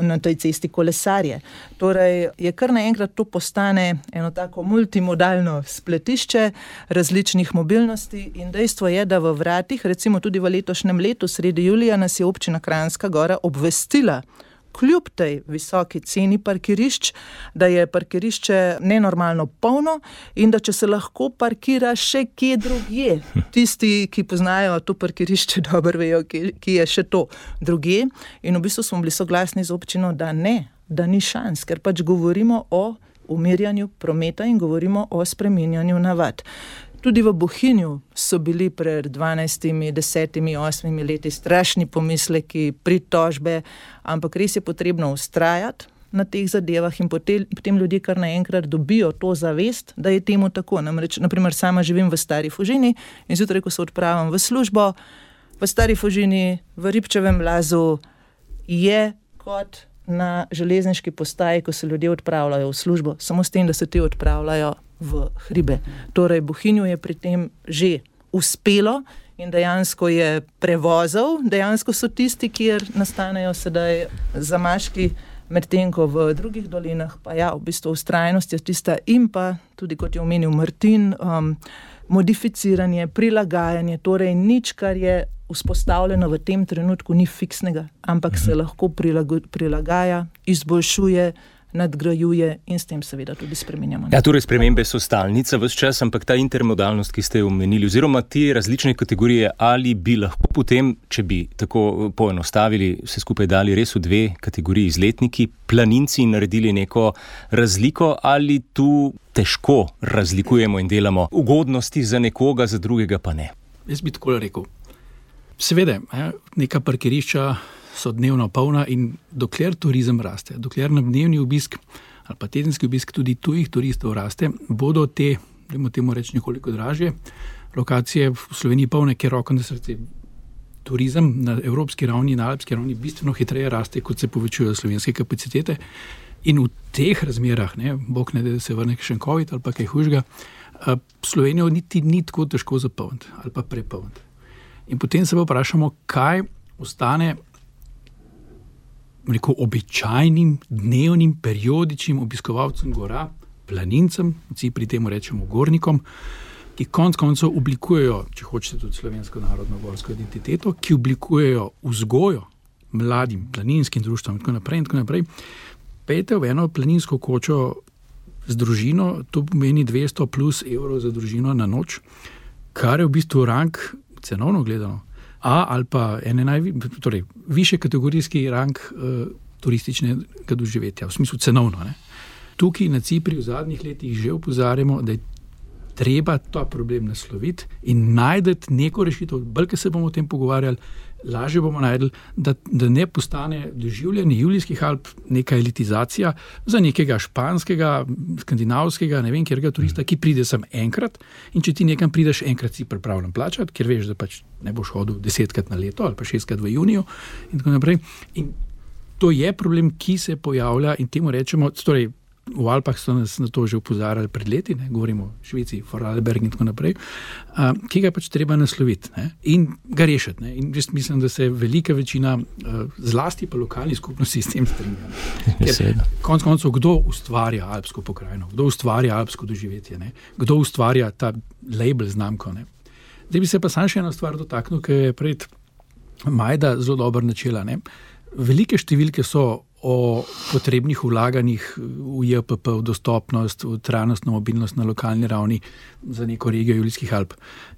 Speaker 3: na tej cesti kolesarje. Torej je kar naenkrat to postane eno tako multimodalno spletišče različnih mobilnosti in dejstvo je, da v vratih, recimo tudi v letošnjem letu, sredi julija, nas je občina Kranjska Gora obvestila, kljub tej visoki ceni parkirišč, da je parkirišče nenormalno polno in da če se lahko parkira še kje drugje. Tisti, ki poznajo to parkirišče, dobro vejo, ki je še to drugje. In v bistvu smo bili soglasni z občino, da ne, da ni šans, ker pač govorimo o umirjanju prometa in govorimo o spreminjanju navad. Tudi v Bohinju so bili pred 12, 10, 8 leti strašni pomisleki, pritožbe, ampak res je potrebno vztrajati na teh zadevah in potem ljudje kar naenkrat dobijo to zavest, da je temu tako. Namreč, naprimer, sama živim v Stari Fužini in zjutraj, ko se odpravim v službo, v Stari Fužini, v Ribčevem Lazu, je kot na železniški postaji, ko se ljudje odpravljajo v službo, samo s tem, da se ti odpravljajo v hribe. Torej, Bohinju je pri tem že uspelo in dejansko je prevozov, dejansko so tisti, kjer nastanejo sedaj zamaški, medtem ko v drugih dolinah, pa ja, v bistvu vztrajnost je tista in pa, tudi kot je omenil Martin, modificiranje, prilagajanje, torej nič, kar je vzpostavljeno v tem trenutku, ni fiksnega, ampak se lahko prilagaja, izboljšuje, nadgrajuje in s tem seveda tudi spreminjamo.
Speaker 2: Ja, torej spremembe so stalnica ves čas, ampak ta intermodalnost, ki ste jo omenili, oziroma te različne kategorije, ali bi lahko potem, če bi tako poenostavili, vse skupaj dali res v 2 kategoriji, izletniki, planinci, naredili neko razliko, ali tu težko razlikujemo in delamo ugodnosti za nekoga, za drugega pa ne?
Speaker 5: Jaz bi tako rekel. Seveda, neka parkirišča so dnevno polna in dokler turizem raste, dokler na dnevni obisk ali pa tedenski obisk tudi tujih turistov raste, bodo te, dajmo temu reči, nekoliko dražje lokacije v Sloveniji polne, ker roko na srce turizem na evropski ravni, na alpski ravni bistveno hitreje raste, kot se povečujejo slovenske kapacitete. In v teh razmerah, bog ne da se vrne še COVID ali pa kaj hujšega, Slovenijo niti ni tako težko zapolniti ali pa prepolniti. In potem se pa vprašamo, kaj ostane običajnim, dnevnim, periodičnim obiskovalcem gora, planincem, pri temu rečemo gornikom, ki konec koncev oblikujejo, če hočete, tudi slovensko narodno gorsko identiteto, ki oblikujejo vzgojo mladim planinskim društvom in tako naprej. Pejte v eno planinsko kočo z družino, to pomeni 200 plus evrov za družino na noč, kar je v bistvu rang, cenovno gledano, ali pa više kategorijski rang turističnega doživetja, v smislu cenovno. Tukaj na Cipri v zadnjih letih že opozarjamo, da je treba ta problem nasloviti in najdeti neko rešitev, bolj, ker se bomo o tem pogovarjali, lažje bomo najdeli, da ne postane doživljanje Julijskih Alp neka elitizacija za nekega španskega, skandinavskega, ne vem kjerega turista, ki pride sem enkrat in če ti nekam prideš enkrat, si pripravljen plačati, ker veš, da pač ne boš hodil 10krat na leto ali pa 6krat v juniju in tako naprej. In to je problem, ki se pojavlja in temu rečemo, torej v Alpah so nas na to že opozarjali pred leti, govorimo o Švici, Vorarlberg in tako naprej, ki ga pač treba nasloviti in ga rešiti. In jaz mislim, da se velika večina, zlasti pa lokalnih skupnosti s tem strinja. Ker konec koncev, kdo ustvarja alpsko pokrajino, kdo ustvarja alpsko doživetje, kdo ustvarja ta label, znamko. Zdaj bi se pa sam še eno stvar dotaknil, ki je pred Majda zelo dobro načela. Velike številke so o potrebnih vlaganjih v JPP, v dostopnost, v trajnostno mobilnost na lokalni ravni za neko regijo Julijskih Alp.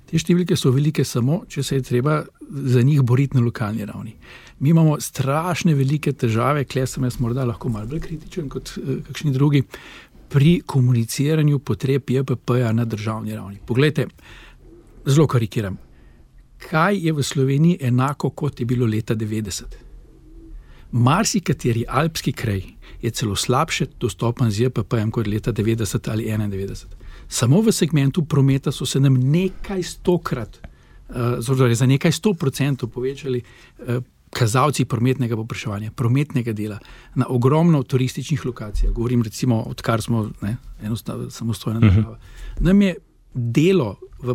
Speaker 5: Te številke so velike samo, če se je treba za njih boriti na lokalni ravni. Mi imamo strašne velike težave, kle sem jaz morda lahko malo bolj kritičen kot kakšni drugi, pri komuniciranju potreb JPP-ja na državni ravni. Poglejte, zelo karikiram. Kaj je v Sloveniji enako, kot je bilo leta 90? Marsikateri alpski kraj je celo slabše dostopen z JPP-jem kot leta 90 ali 91. Samo v segmentu prometa so se nam nekaj stokrat, za nekaj 100% povečali kazalci prometnega povpraševanja, prometnega dela na ogromno turističnih lokacijah. Govorim recimo, odkar smo samostojna država. Nam je delo v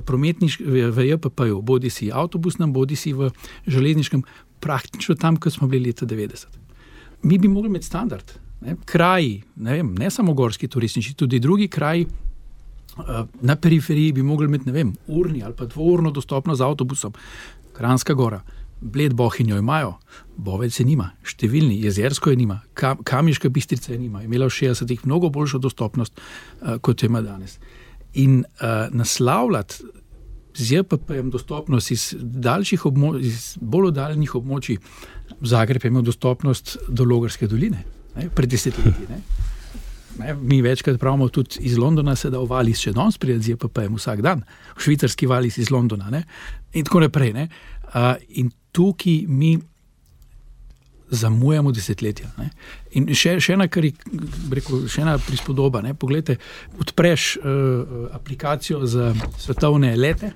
Speaker 5: JPP-ju, bodi si avtobusnem, bodi si v železniškem, praktično tam, kot smo bili leta 90. Mi bi mogli imeti standard. Kraji, ne samo gorski turistični, tudi drugi kraji na periferiji bi mogli imeti, urni ali pa dvourno dostopno z avtobusom. Kranjska Gora, Bled, Bohinjo imajo, Bovec je nima, številni, Jezersko je nima, Kamiška Bistrica je nima, imela v 60-ih mnogo boljšo dostopnost, kot jo ima danes. In naslavljati z JPP-jem dostopnost iz bolj oddaljenih območij. Zagreb je imel dostopnost do Logarske doline, pred 10 leti. Mi večkrat pravimo, tudi iz Londona se da v Valis še danes prijeti z JPP-jem vsak dan, v švicarski Valis iz Londona, in tako naprej. In tukaj mi zamujamo desetletja. In še ena prispodoba. Poglejte, odpreš aplikacijo za svetovne lete,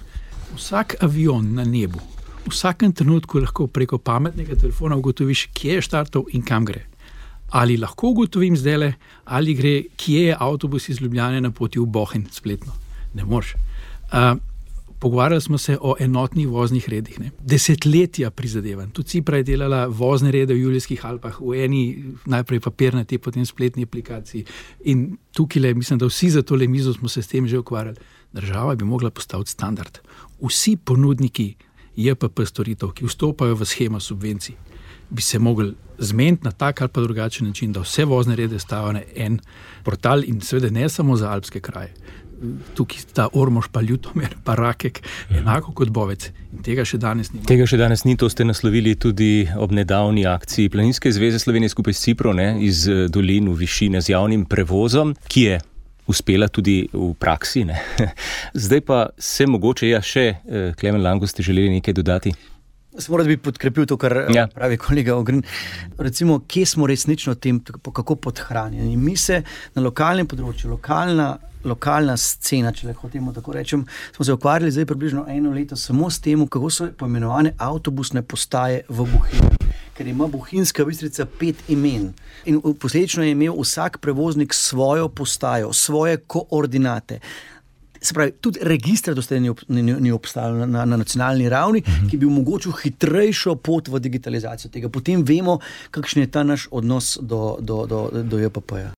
Speaker 5: vsak avion na nebu, v vsakem trenutku lahko preko pametnega telefona ugotoviš, kje je štartov in kam gre. Ali lahko ugotovim zdajle, ali gre, kje je avtobus iz Ljubljane na poti v Bohinj spletno. Ne moreš. Pogovarjali smo se o enotnih voznih redih. Desetletja prizadevanj. Tudi Cipra je delala vozne rede v Julijskih Alpah, v eni najprej papirnati, potem spletni aplikaciji. In tukaj, mislim, da vsi za tole mizo smo se s tem že ukvarjali. Država bi mogla postaviti standard. Vsi ponudniki JPP storitev, ki vstopajo v shemo subvencij, bi se mogli zmeniti na tak ali pa drugačen način, da vse vozne rede stavijo na en portal in seveda ne samo za alpske kraje. Tukaj sta Ormož, pa Ljutomer, pa Rakek, enako kot Bovec. In tega še danes ni.
Speaker 2: Tega še danes ni, to ste naslovili tudi ob nedavni akciji Planinske zveze Slovenije skupaj s Cipro, iz dolin v višine z javnim prevozom, ki je uspela tudi v praksi. Zdaj pa se mogoče še, Klemen Lango, ste želeli nekaj dodati?
Speaker 6: Moram bi podkrepil to, kar pravi kolega Ogrin. Recimo, kje smo resnično tem, kako podhranjeni. Mi se na lokalnem področju, lokalna scena, če lahko temu tako rečem, smo se ukvarjali zdaj približno 1 leto samo s tem, kako so poimenovane avtobusne postaje v Bohinju. Ker ima Bohinjska Bistrica 5 imen. In posledično je imel vsak prevoznik svojo postajo, svoje koordinate. Se pravi, tudi registra doslej ni obstajalo na nacionalni ravni, ki bi omogočil hitrejšo pot v digitalizacijo tega. Potem vemo, kakšen je ta naš odnos do JPP-ja.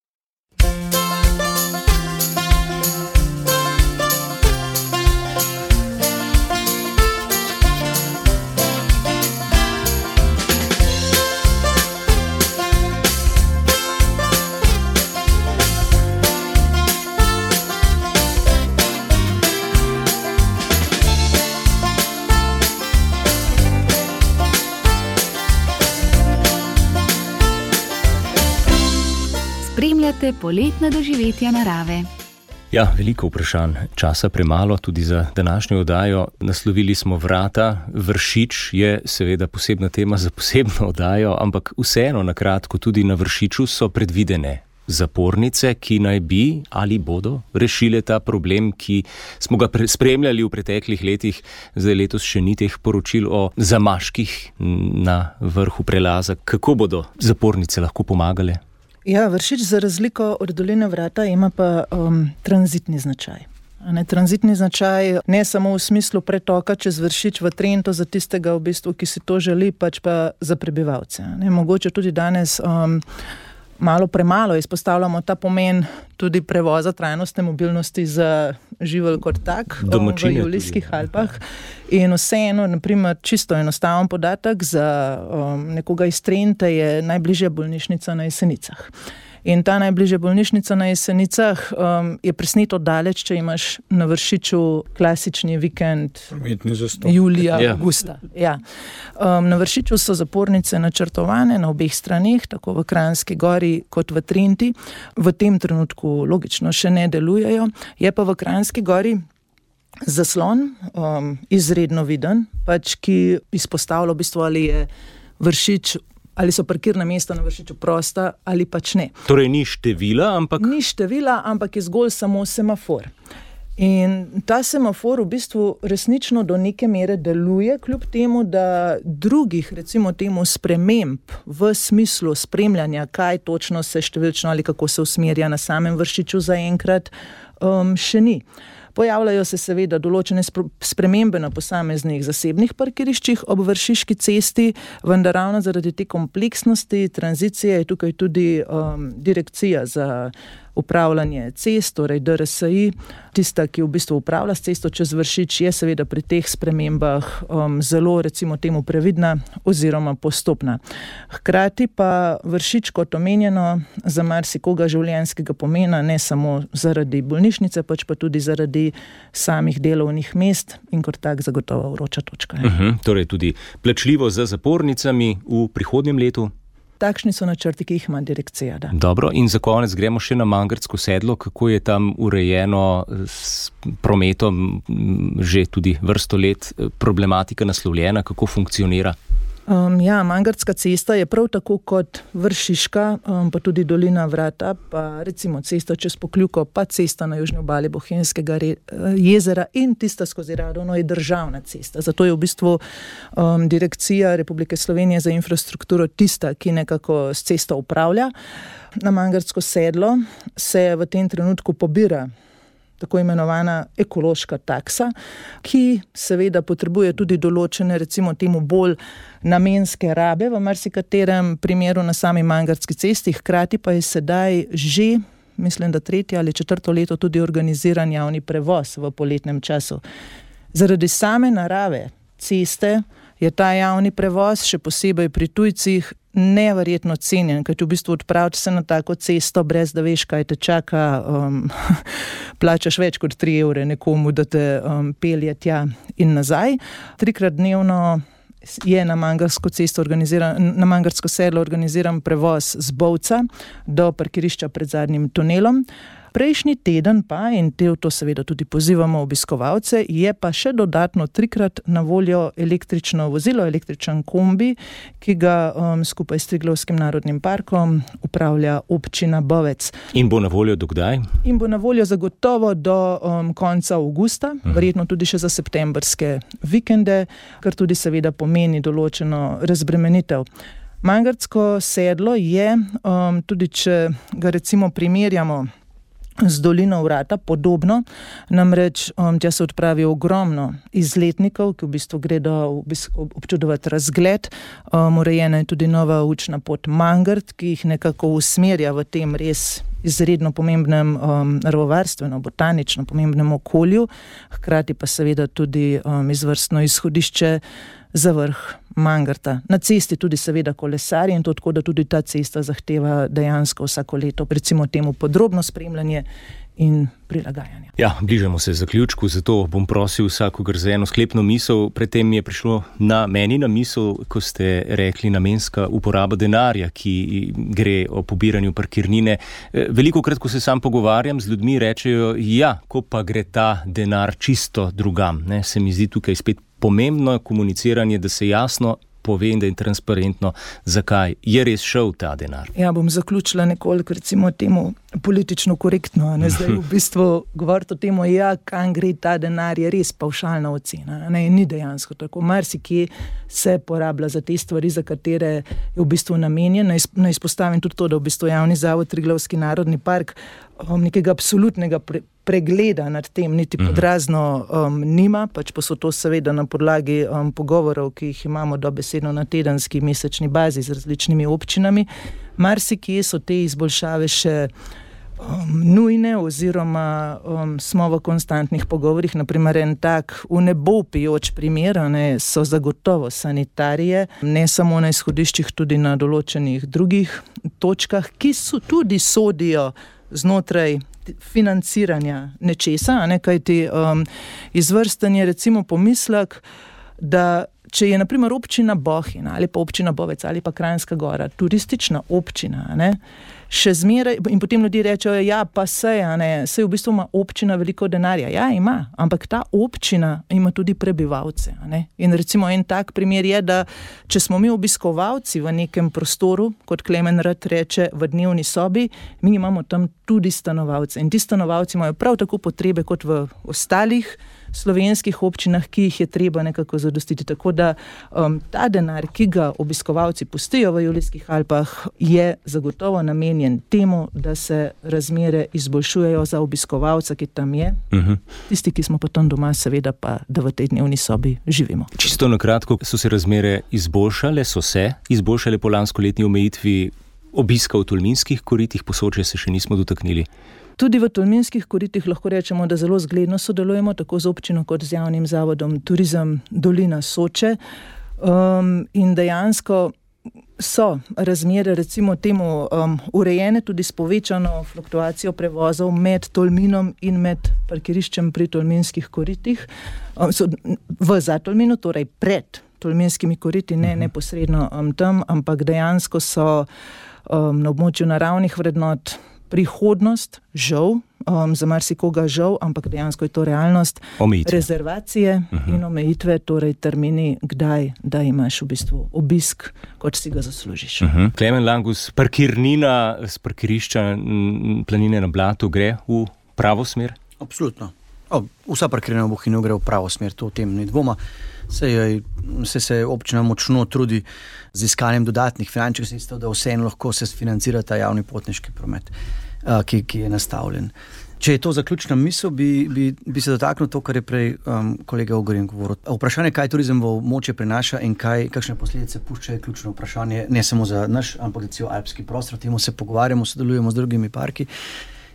Speaker 1: Spremljate poletna doživetja narave.
Speaker 2: Ja, veliko vprašanj, časa premalo tudi za današnjo oddajo. Naslovili smo Vrata. Vršič je seveda posebna tema za posebno oddajo, ampak vseeno na kratko tudi na Vršiču so predvidene zapornice, ki naj bi ali bodo rešile ta problem, ki smo ga spremljali v preteklih letih. Zdaj letos še ni teh poročil o zamaških na vrhu prelaza. Kako bodo zapornice lahko pomagale?
Speaker 3: Ja, Vršič za razliko od doline Vrata ima pa tranzitni značaj. Tranzitni značaj ne samo v smislu pretoka čez Vršič v Trento za tistega, v bistvu, ki si to želi, pač pa za prebivalce. Mogoče tudi danes malo premalo izpostavljamo ta pomen tudi prevoza trajnostne mobilnosti za živelj kot tak v Julijskih Alpah. In vseeno, naprimer, čisto enostaven podatek za nekoga iz Trente je najbližja bolnišnica na Jesenicah. In ta najbližja bolnišnica na Jesenicah je presneto daleč, če imaš na Vršiču klasični vikend julija, avgusta. Ja. Na Vršiču so zapornice načrtovane na obeh straneh, tako v Kranjski Gori kot v Trenti. V tem trenutku logično še ne delujejo. Je pa v Kranjski Gori zaslon izredno viden, pač ki izpostavlja v bistvu, ali je Vršič, ali so parkirna mesta na Vršiču prosta ali pač ne.
Speaker 2: Torej ni števila, ampak...
Speaker 3: Ni števila, ampak je zgolj samo semafor. In ta semafor v bistvu resnično do neke mere deluje, kljub temu, da drugih, recimo temu, sprememb v smislu spremljanja, kaj točno se številčno ali kako se usmerja na samem Vršiču zaenkrat, še ni. Pojavljajo se seveda določene spremembe na posameznih zasebnih parkiriščih ob Vršiški cesti, vendar ravno zaradi te kompleksnosti tranzicije je tukaj tudi direkcija za upravljanje cest, torej DRSI, tista, ki v bistvu upravlja s cesto čez Vršič, je seveda pri teh spremembah zelo, recimo temu, previdna oziroma postopna. Hkrati pa Vršič, kot omenjeno, za marsikoga življenjskega pomena, ne samo zaradi bolnišnice, pač pa tudi zaradi samih delovnih mest in kot tak zagotovo vroča točka.
Speaker 2: Torej tudi plačljivo za zapornicami v prihodnjem letu?
Speaker 3: Takšni so načrti, ki jih ima direkcija. Da.
Speaker 2: Dobro, in za konec gremo še na Mangartsko sedlo. Kako je tam urejeno s prometom že tudi vrsto let, problematika naslovljena, kako funkcionira?
Speaker 3: Mangartska cesta je prav tako kot Vršiška, pa tudi Dolina Vrata, pa recimo cesta čez Pokljuko, pa cesta na južni obali Bohinjskega jezera in tista skozi Radovno je državna cesta. Zato je v bistvu Direkcija Republike Slovenije za infrastrukturo tista, ki nekako s cesto upravlja. Na Mangartsko sedlo se v tem trenutku pobira tako imenovana ekološka taksa, ki seveda potrebuje tudi določene, recimo temu, bolj namenske rabe v marsikaterem primeru na sami Mangartski cesti, hkrati pa je sedaj že, mislim, da 3. ali 4. leto tudi organiziran javni prevoz v poletnem času. Zaradi same narave ceste je ta javni prevoz, še posebej pri tujcih, neverjetno cenjen, ker v bistvu odpraviti se na tako cesto, brez da veš, kaj te čaka, plačaš več kot 3 evre nekomu, da te pelje tja in nazaj. 3-krat dnevno je na Mangartsko sedlo organiziran prevoz z Bovca do parkirišča pred zadnjim tunelom. Prejšnji teden pa, in to seveda tudi pozivamo obiskovalce, je pa še dodatno 3-krat na voljo električno vozilo, električen kombi, ki ga skupaj s Triglavskim narodnim parkom upravlja občina Bovec.
Speaker 2: In bo na voljo do kdaj?
Speaker 3: In bo na voljo zagotovo do konca avgusta, verjetno tudi še za septembrske vikende, kar tudi seveda pomeni določeno razbremenitev. Mangartsko sedlo je, tudi če ga recimo primerjamo z Dolino Vrata, podobno, namreč tja se odpravi ogromno izletnikov, ki v bistvu gredo občudovati razgled. Urejena je tudi nova učna pot Mangart, ki jih nekako usmerja v tem res izredno pomembnem naravovarstveno, botanično pomembnem okolju, hkrati pa seveda tudi izvrstno izhodišče za vrh Mangarta. Na cesti tudi seveda kolesarji in to tako, da tudi ta cesta zahteva dejansko vsako leto, recimo temu, podrobno spremljanje in prilagajanje.
Speaker 2: Ja, bližamo se zaključku, zato bom prosil vsakogar za eno sklepno misel. Predtem je prišlo meni na misel, ko ste rekli namenska uporaba denarja, ki gre o pobiranju parkirnine. Velikokrat, ko se sam pogovarjam z ljudmi, rečejo, ja, ko pa gre ta denar čisto drugam. Se mi zdi tukaj spet pomembno komuniciranje, da se jasno pove in da je transparentno, zakaj je res šel ta denar.
Speaker 3: Ja, bom zaključila nekoliko, recimo temu, politično korektno. Zdaj v bistvu govoriti o temu, kam gre ta denar, je res pavšalna ocena. Ni dejansko tako. Marsikje se porablja za te stvari, za katere je v bistvu namenjen. Naj izpostavim tudi to, da v bistvu javni zavod Triglavski narodni park nekega absolutnega pregleda nad tem, niti podrazno nima, pač pa so to seveda na podlagi pogovorov, ki jih imamo dobesedno na tedenski, mesečni bazi z različnimi občinami. Marsikje so te izboljšave še nujne oziroma smo v konstantnih pogovorih. Naprimer, en tak v nebo pijoč primer so zagotovo sanitarije, ne samo na izhodiščih, tudi na določenih drugih točkah, ki so tudi sodijo znotraj financiranja nečesa, kajti izvrsten je recimo pomislek, da če je naprimer občina Bohinj ali pa občina Bovec ali pa Kranjska Gora turistična občina, še zmeraj, in potem ljudje rečejo, ja, pa sej v bistvu ima občina veliko denarja. Ja, ima, ampak ta občina ima tudi prebivalce. In recimo en tak primer je, da če smo mi obiskovalci v nekem prostoru, kot Klemen rad reče, v dnevni sobi, mi imamo tam tudi stanovalce. In ti stanovalci imajo prav tako potrebe kot v ostalih slovenskih občinah, ki jih je treba nekako zadostiti. Tako da ta denar, ki ga obiskovalci pustijo v Julijskih Alpah, je zagotovo namenjen temu, da se razmere izboljšujejo za obiskovalca, ki tam je. Tisti, ki smo pa tam doma, seveda pa, da v tej dnevni sobi živimo.
Speaker 2: Čisto na kratko, so se razmere izboljšale po lanskoletni omejitvi obiska v Tolminskih koritih, Posočja se še nismo dotaknili.
Speaker 3: Tudi v Tolminskih koritih lahko rečemo, da zelo zgledno sodelujemo tako z občino kot z javnim zavodom Turizem Dolina Soče. In dejansko so razmere recimo temu urejene tudi s povečano fluktuacijo prevozov med Tolminom in med parkiriščem pri Tolminskih koritih. V Zatolminu, torej pred Tolminskimi koriti, ne neposredno tam, ampak dejansko so na območju naravnih vrednot prihodnost, žal, za marsikoga žal, ampak dejansko je to realnost, rezervacije in omejitve, torej termini, kdaj, da imaš v bistvu obisk, kot si ga zaslužiš.
Speaker 2: Klemen Langus, parkirnina z parkirišča Planine na Blatu gre v pravo smer?
Speaker 6: Absolutno. Vsa parkirina v Bohinju gre v pravo smer, to o tem ni dvoma. Se občina močno trudi z iskanjem dodatnih finančnih sredstev, da vseeno lahko se financira ta javni potniški promet, ki je nastavljen. Če je to zaključna misel, bi se dotaknil to, kar je prej kolega Ogrin govoril. Vprašanje, kaj turizem v območje prinaša in kakšne posledice pušča, je ključno vprašanje, ne samo za naš, ampak za cel alpski prostor. O tem se pogovarjamo, sodelujemo z drugimi parki.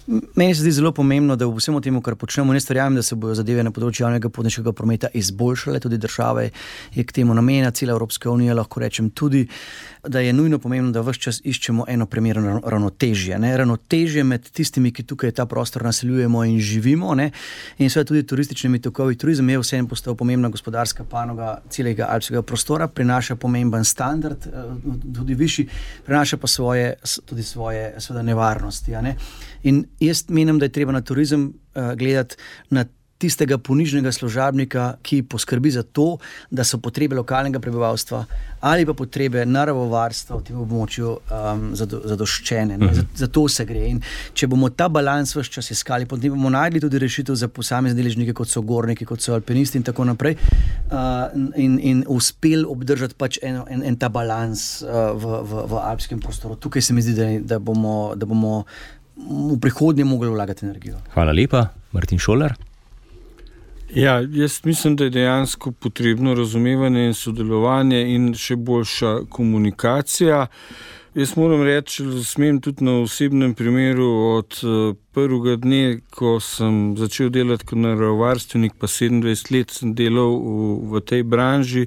Speaker 6: Meni se zdi zelo pomembno, da v vsemu temu, kar počnemo, ne verjamem, da se bodo zadeve na področju javnega potniškega prometa izboljšale, tudi država je k temu namenjena, cela Evropska unija, lahko rečem tudi, da je nujno pomembno, da ves čas iščemo eno primerno ravnotežje. Ravnotežje med tistimi, ki tukaj ta prostor naseljujemo in živimo, in seveda tudi turističnimi tokovi. Turizem je vseeno postal pomembna gospodarska panoga celega alpskega prostora, prinaša pomemben standard, tudi višji, prinaša pa tudi svoje seveda nevarnosti. In jaz menim, da je treba na turizem gledati na tistega ponižnega služabnika, ki poskrbi za to, da so potrebe lokalnega prebivalstva ali pa potrebe naravovarstva v tem območju zadoščene. Za to se gre. In če bomo ta balans ves čas iskali, potem bomo najdli tudi rešitev za posamezne deležnike, kot so gorniki, kot so alpinisti in tako naprej, in uspeli obdržati pač en ta balans v alpskem prostoru. Tukaj se mi zdi, da bomo v prihodnje mogli vlagati energijo.
Speaker 2: Hvala lepa. Martin Šolar.
Speaker 4: Ja, jaz mislim, da je dejansko potrebno razumevanje in sodelovanje in še boljša komunikacija. Jaz moram reči, da smem tudi na osebnem primeru od prvega dne, ko sem začel delati kot naravovarstvenik, pa 27 let sem delal v tej branži,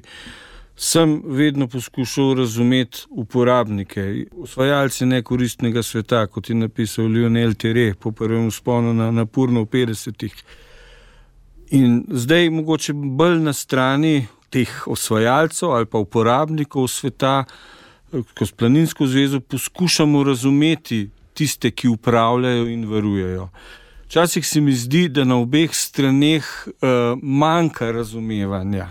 Speaker 4: sem vedno poskušal razumeti uporabnike, osvajalci nekoristnega sveta, kot je napisal Lionel Tere po prvem vzponu na Napurno v 50-ih. In zdaj mogoče bolj na strani teh osvajalcev ali pa uporabnikov sveta, ko s Planinsko zvezo poskušamo razumeti tiste, ki upravljajo in varujejo. Včasih se mi zdi, da na obeh straneh manjka razumevanja.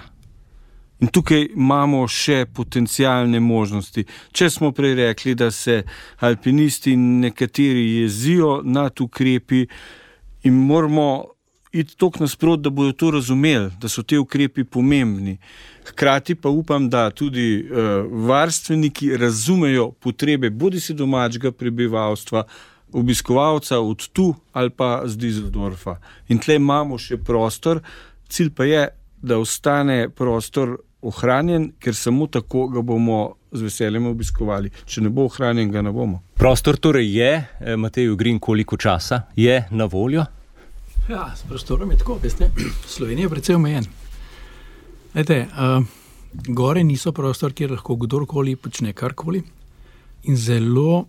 Speaker 4: In tukaj imamo še potencialne možnosti. Če smo prej rekli, da se alpinisti in nekateri jezijo nad ukrepi in moramo iti toliko nasprot, da bodo to razumeli, da so te ukrepi pomembni. Hkrati pa upam, da tudi varstveniki razumejo potrebe bodisi domačega prebivalstva, obiskovalca od tu ali pa z Düsseldorfa. In tle imamo še prostor, cilj pa je, da ostane prostor ohranjen, ker samo tako ga bomo z veseljem obiskovali. Če ne bo ohranjen, ga ne bomo.
Speaker 2: Prostor torej je, Matej Ogrin, koliko časa je na voljo?
Speaker 5: Ja, s prostorom je tako, veste, Slovenija je precej omejen. Gore niso prostor, kjer lahko kdorkoli počne karkoli in zelo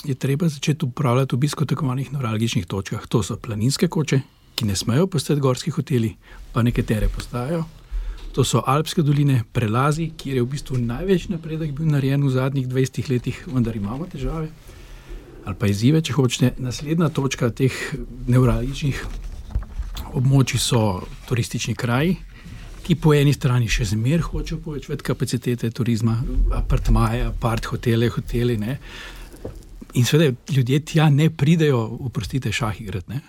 Speaker 5: je treba začeti upravljati obisk v tako manjih nevralgičnih točkah. To so planinske koče, ki ne smejo postati gorski hoteli, pa nekatere postajajo. To so alpske doline, prelazi, kjer je v bistvu največ napredek bil narejen v zadnjih 20 letih, vendar imamo težave. Ali pa izzive, če hočete. Naslednja točka teh nevralgičnih območij so turistični kraji, ki po eni strani še zmer hočejo povečati kapacitete turizma, apartmaje, hoteli, ne. In seveda ljudje tja ne pridejo, oprostite, šah igrati, ne,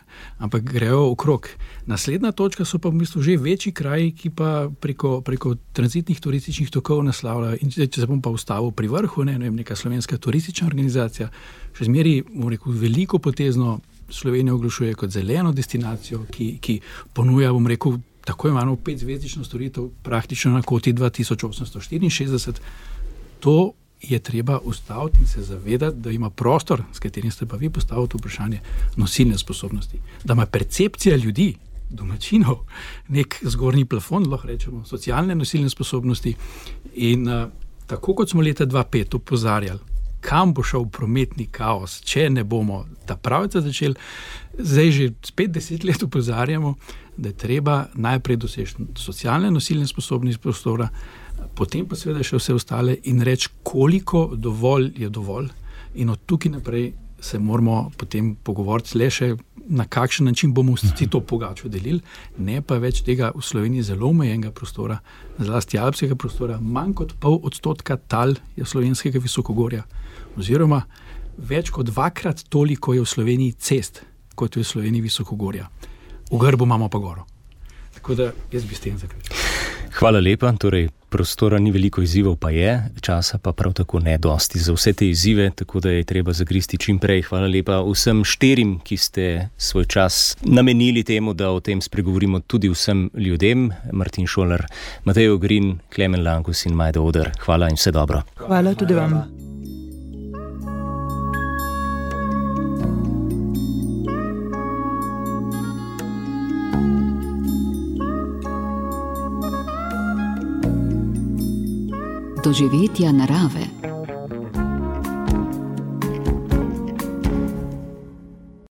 Speaker 5: ampak grejo okrog. Naslednja točka so pa v bistvu že večji kraji, ki pa preko tranzitnih turističnih tokov naslavljajo. In če se bom pa ustavil pri vrhu, neka slovenska turistična organizacija, še zmeri, veliko potezno Slovenijo oglašuje kot zeleno destinacijo, ki ponuja, tako imamo 5-zvezdično storitev praktično na koti 2864. To je treba ustaviti in se zavedati, da ima prostor, s katerim ste pa vi postavili vprašanje, nosilne sposobnosti. Da ima percepcija ljudi, domačinov, nek zgornji plafon, lahko rečemo, socialne nosilne sposobnosti. In tako kot smo leta 2005 opozarjali, kam bo šel prometni kaos, če ne bomo ta pravica začeli, zdaj že spet 10 let opozarjamo, da je treba najprej doseči socialne nosilne sposobnosti prostora, potem pa seveda še vse ostale in reči, koliko dovolj je dovolj. In od tukaj naprej se moramo potem pogovoriti le še, na kakšen način bomo vsi to pogačo delili, ne pa več tega v Sloveniji zelo omejenega prostora, zlasti alpskega prostora, manj kot 0,5% tal je slovenskega visokogorja, oziroma več kot 2-krat toliko je v Sloveniji cest, kot je v Sloveniji visokogorja. V grbu imamo pa goro. Tako da jaz bi s tem zaključil.
Speaker 2: Hvala lepa, torej prostora ni veliko izzivov, pa je, časa pa prav tako ne dosti za vse te izzive, tako da je treba zagristi čim prej. Hvala lepa vsem 4, ki ste svoj čas namenili temu, da o tem spregovorimo tudi vsem ljudem. Martin Šolar, Matej Ogrin, Klemen Lankus in Majda Oder. Hvala in vse dobro.
Speaker 3: Hvala tudi vam.
Speaker 1: Doživetja narave.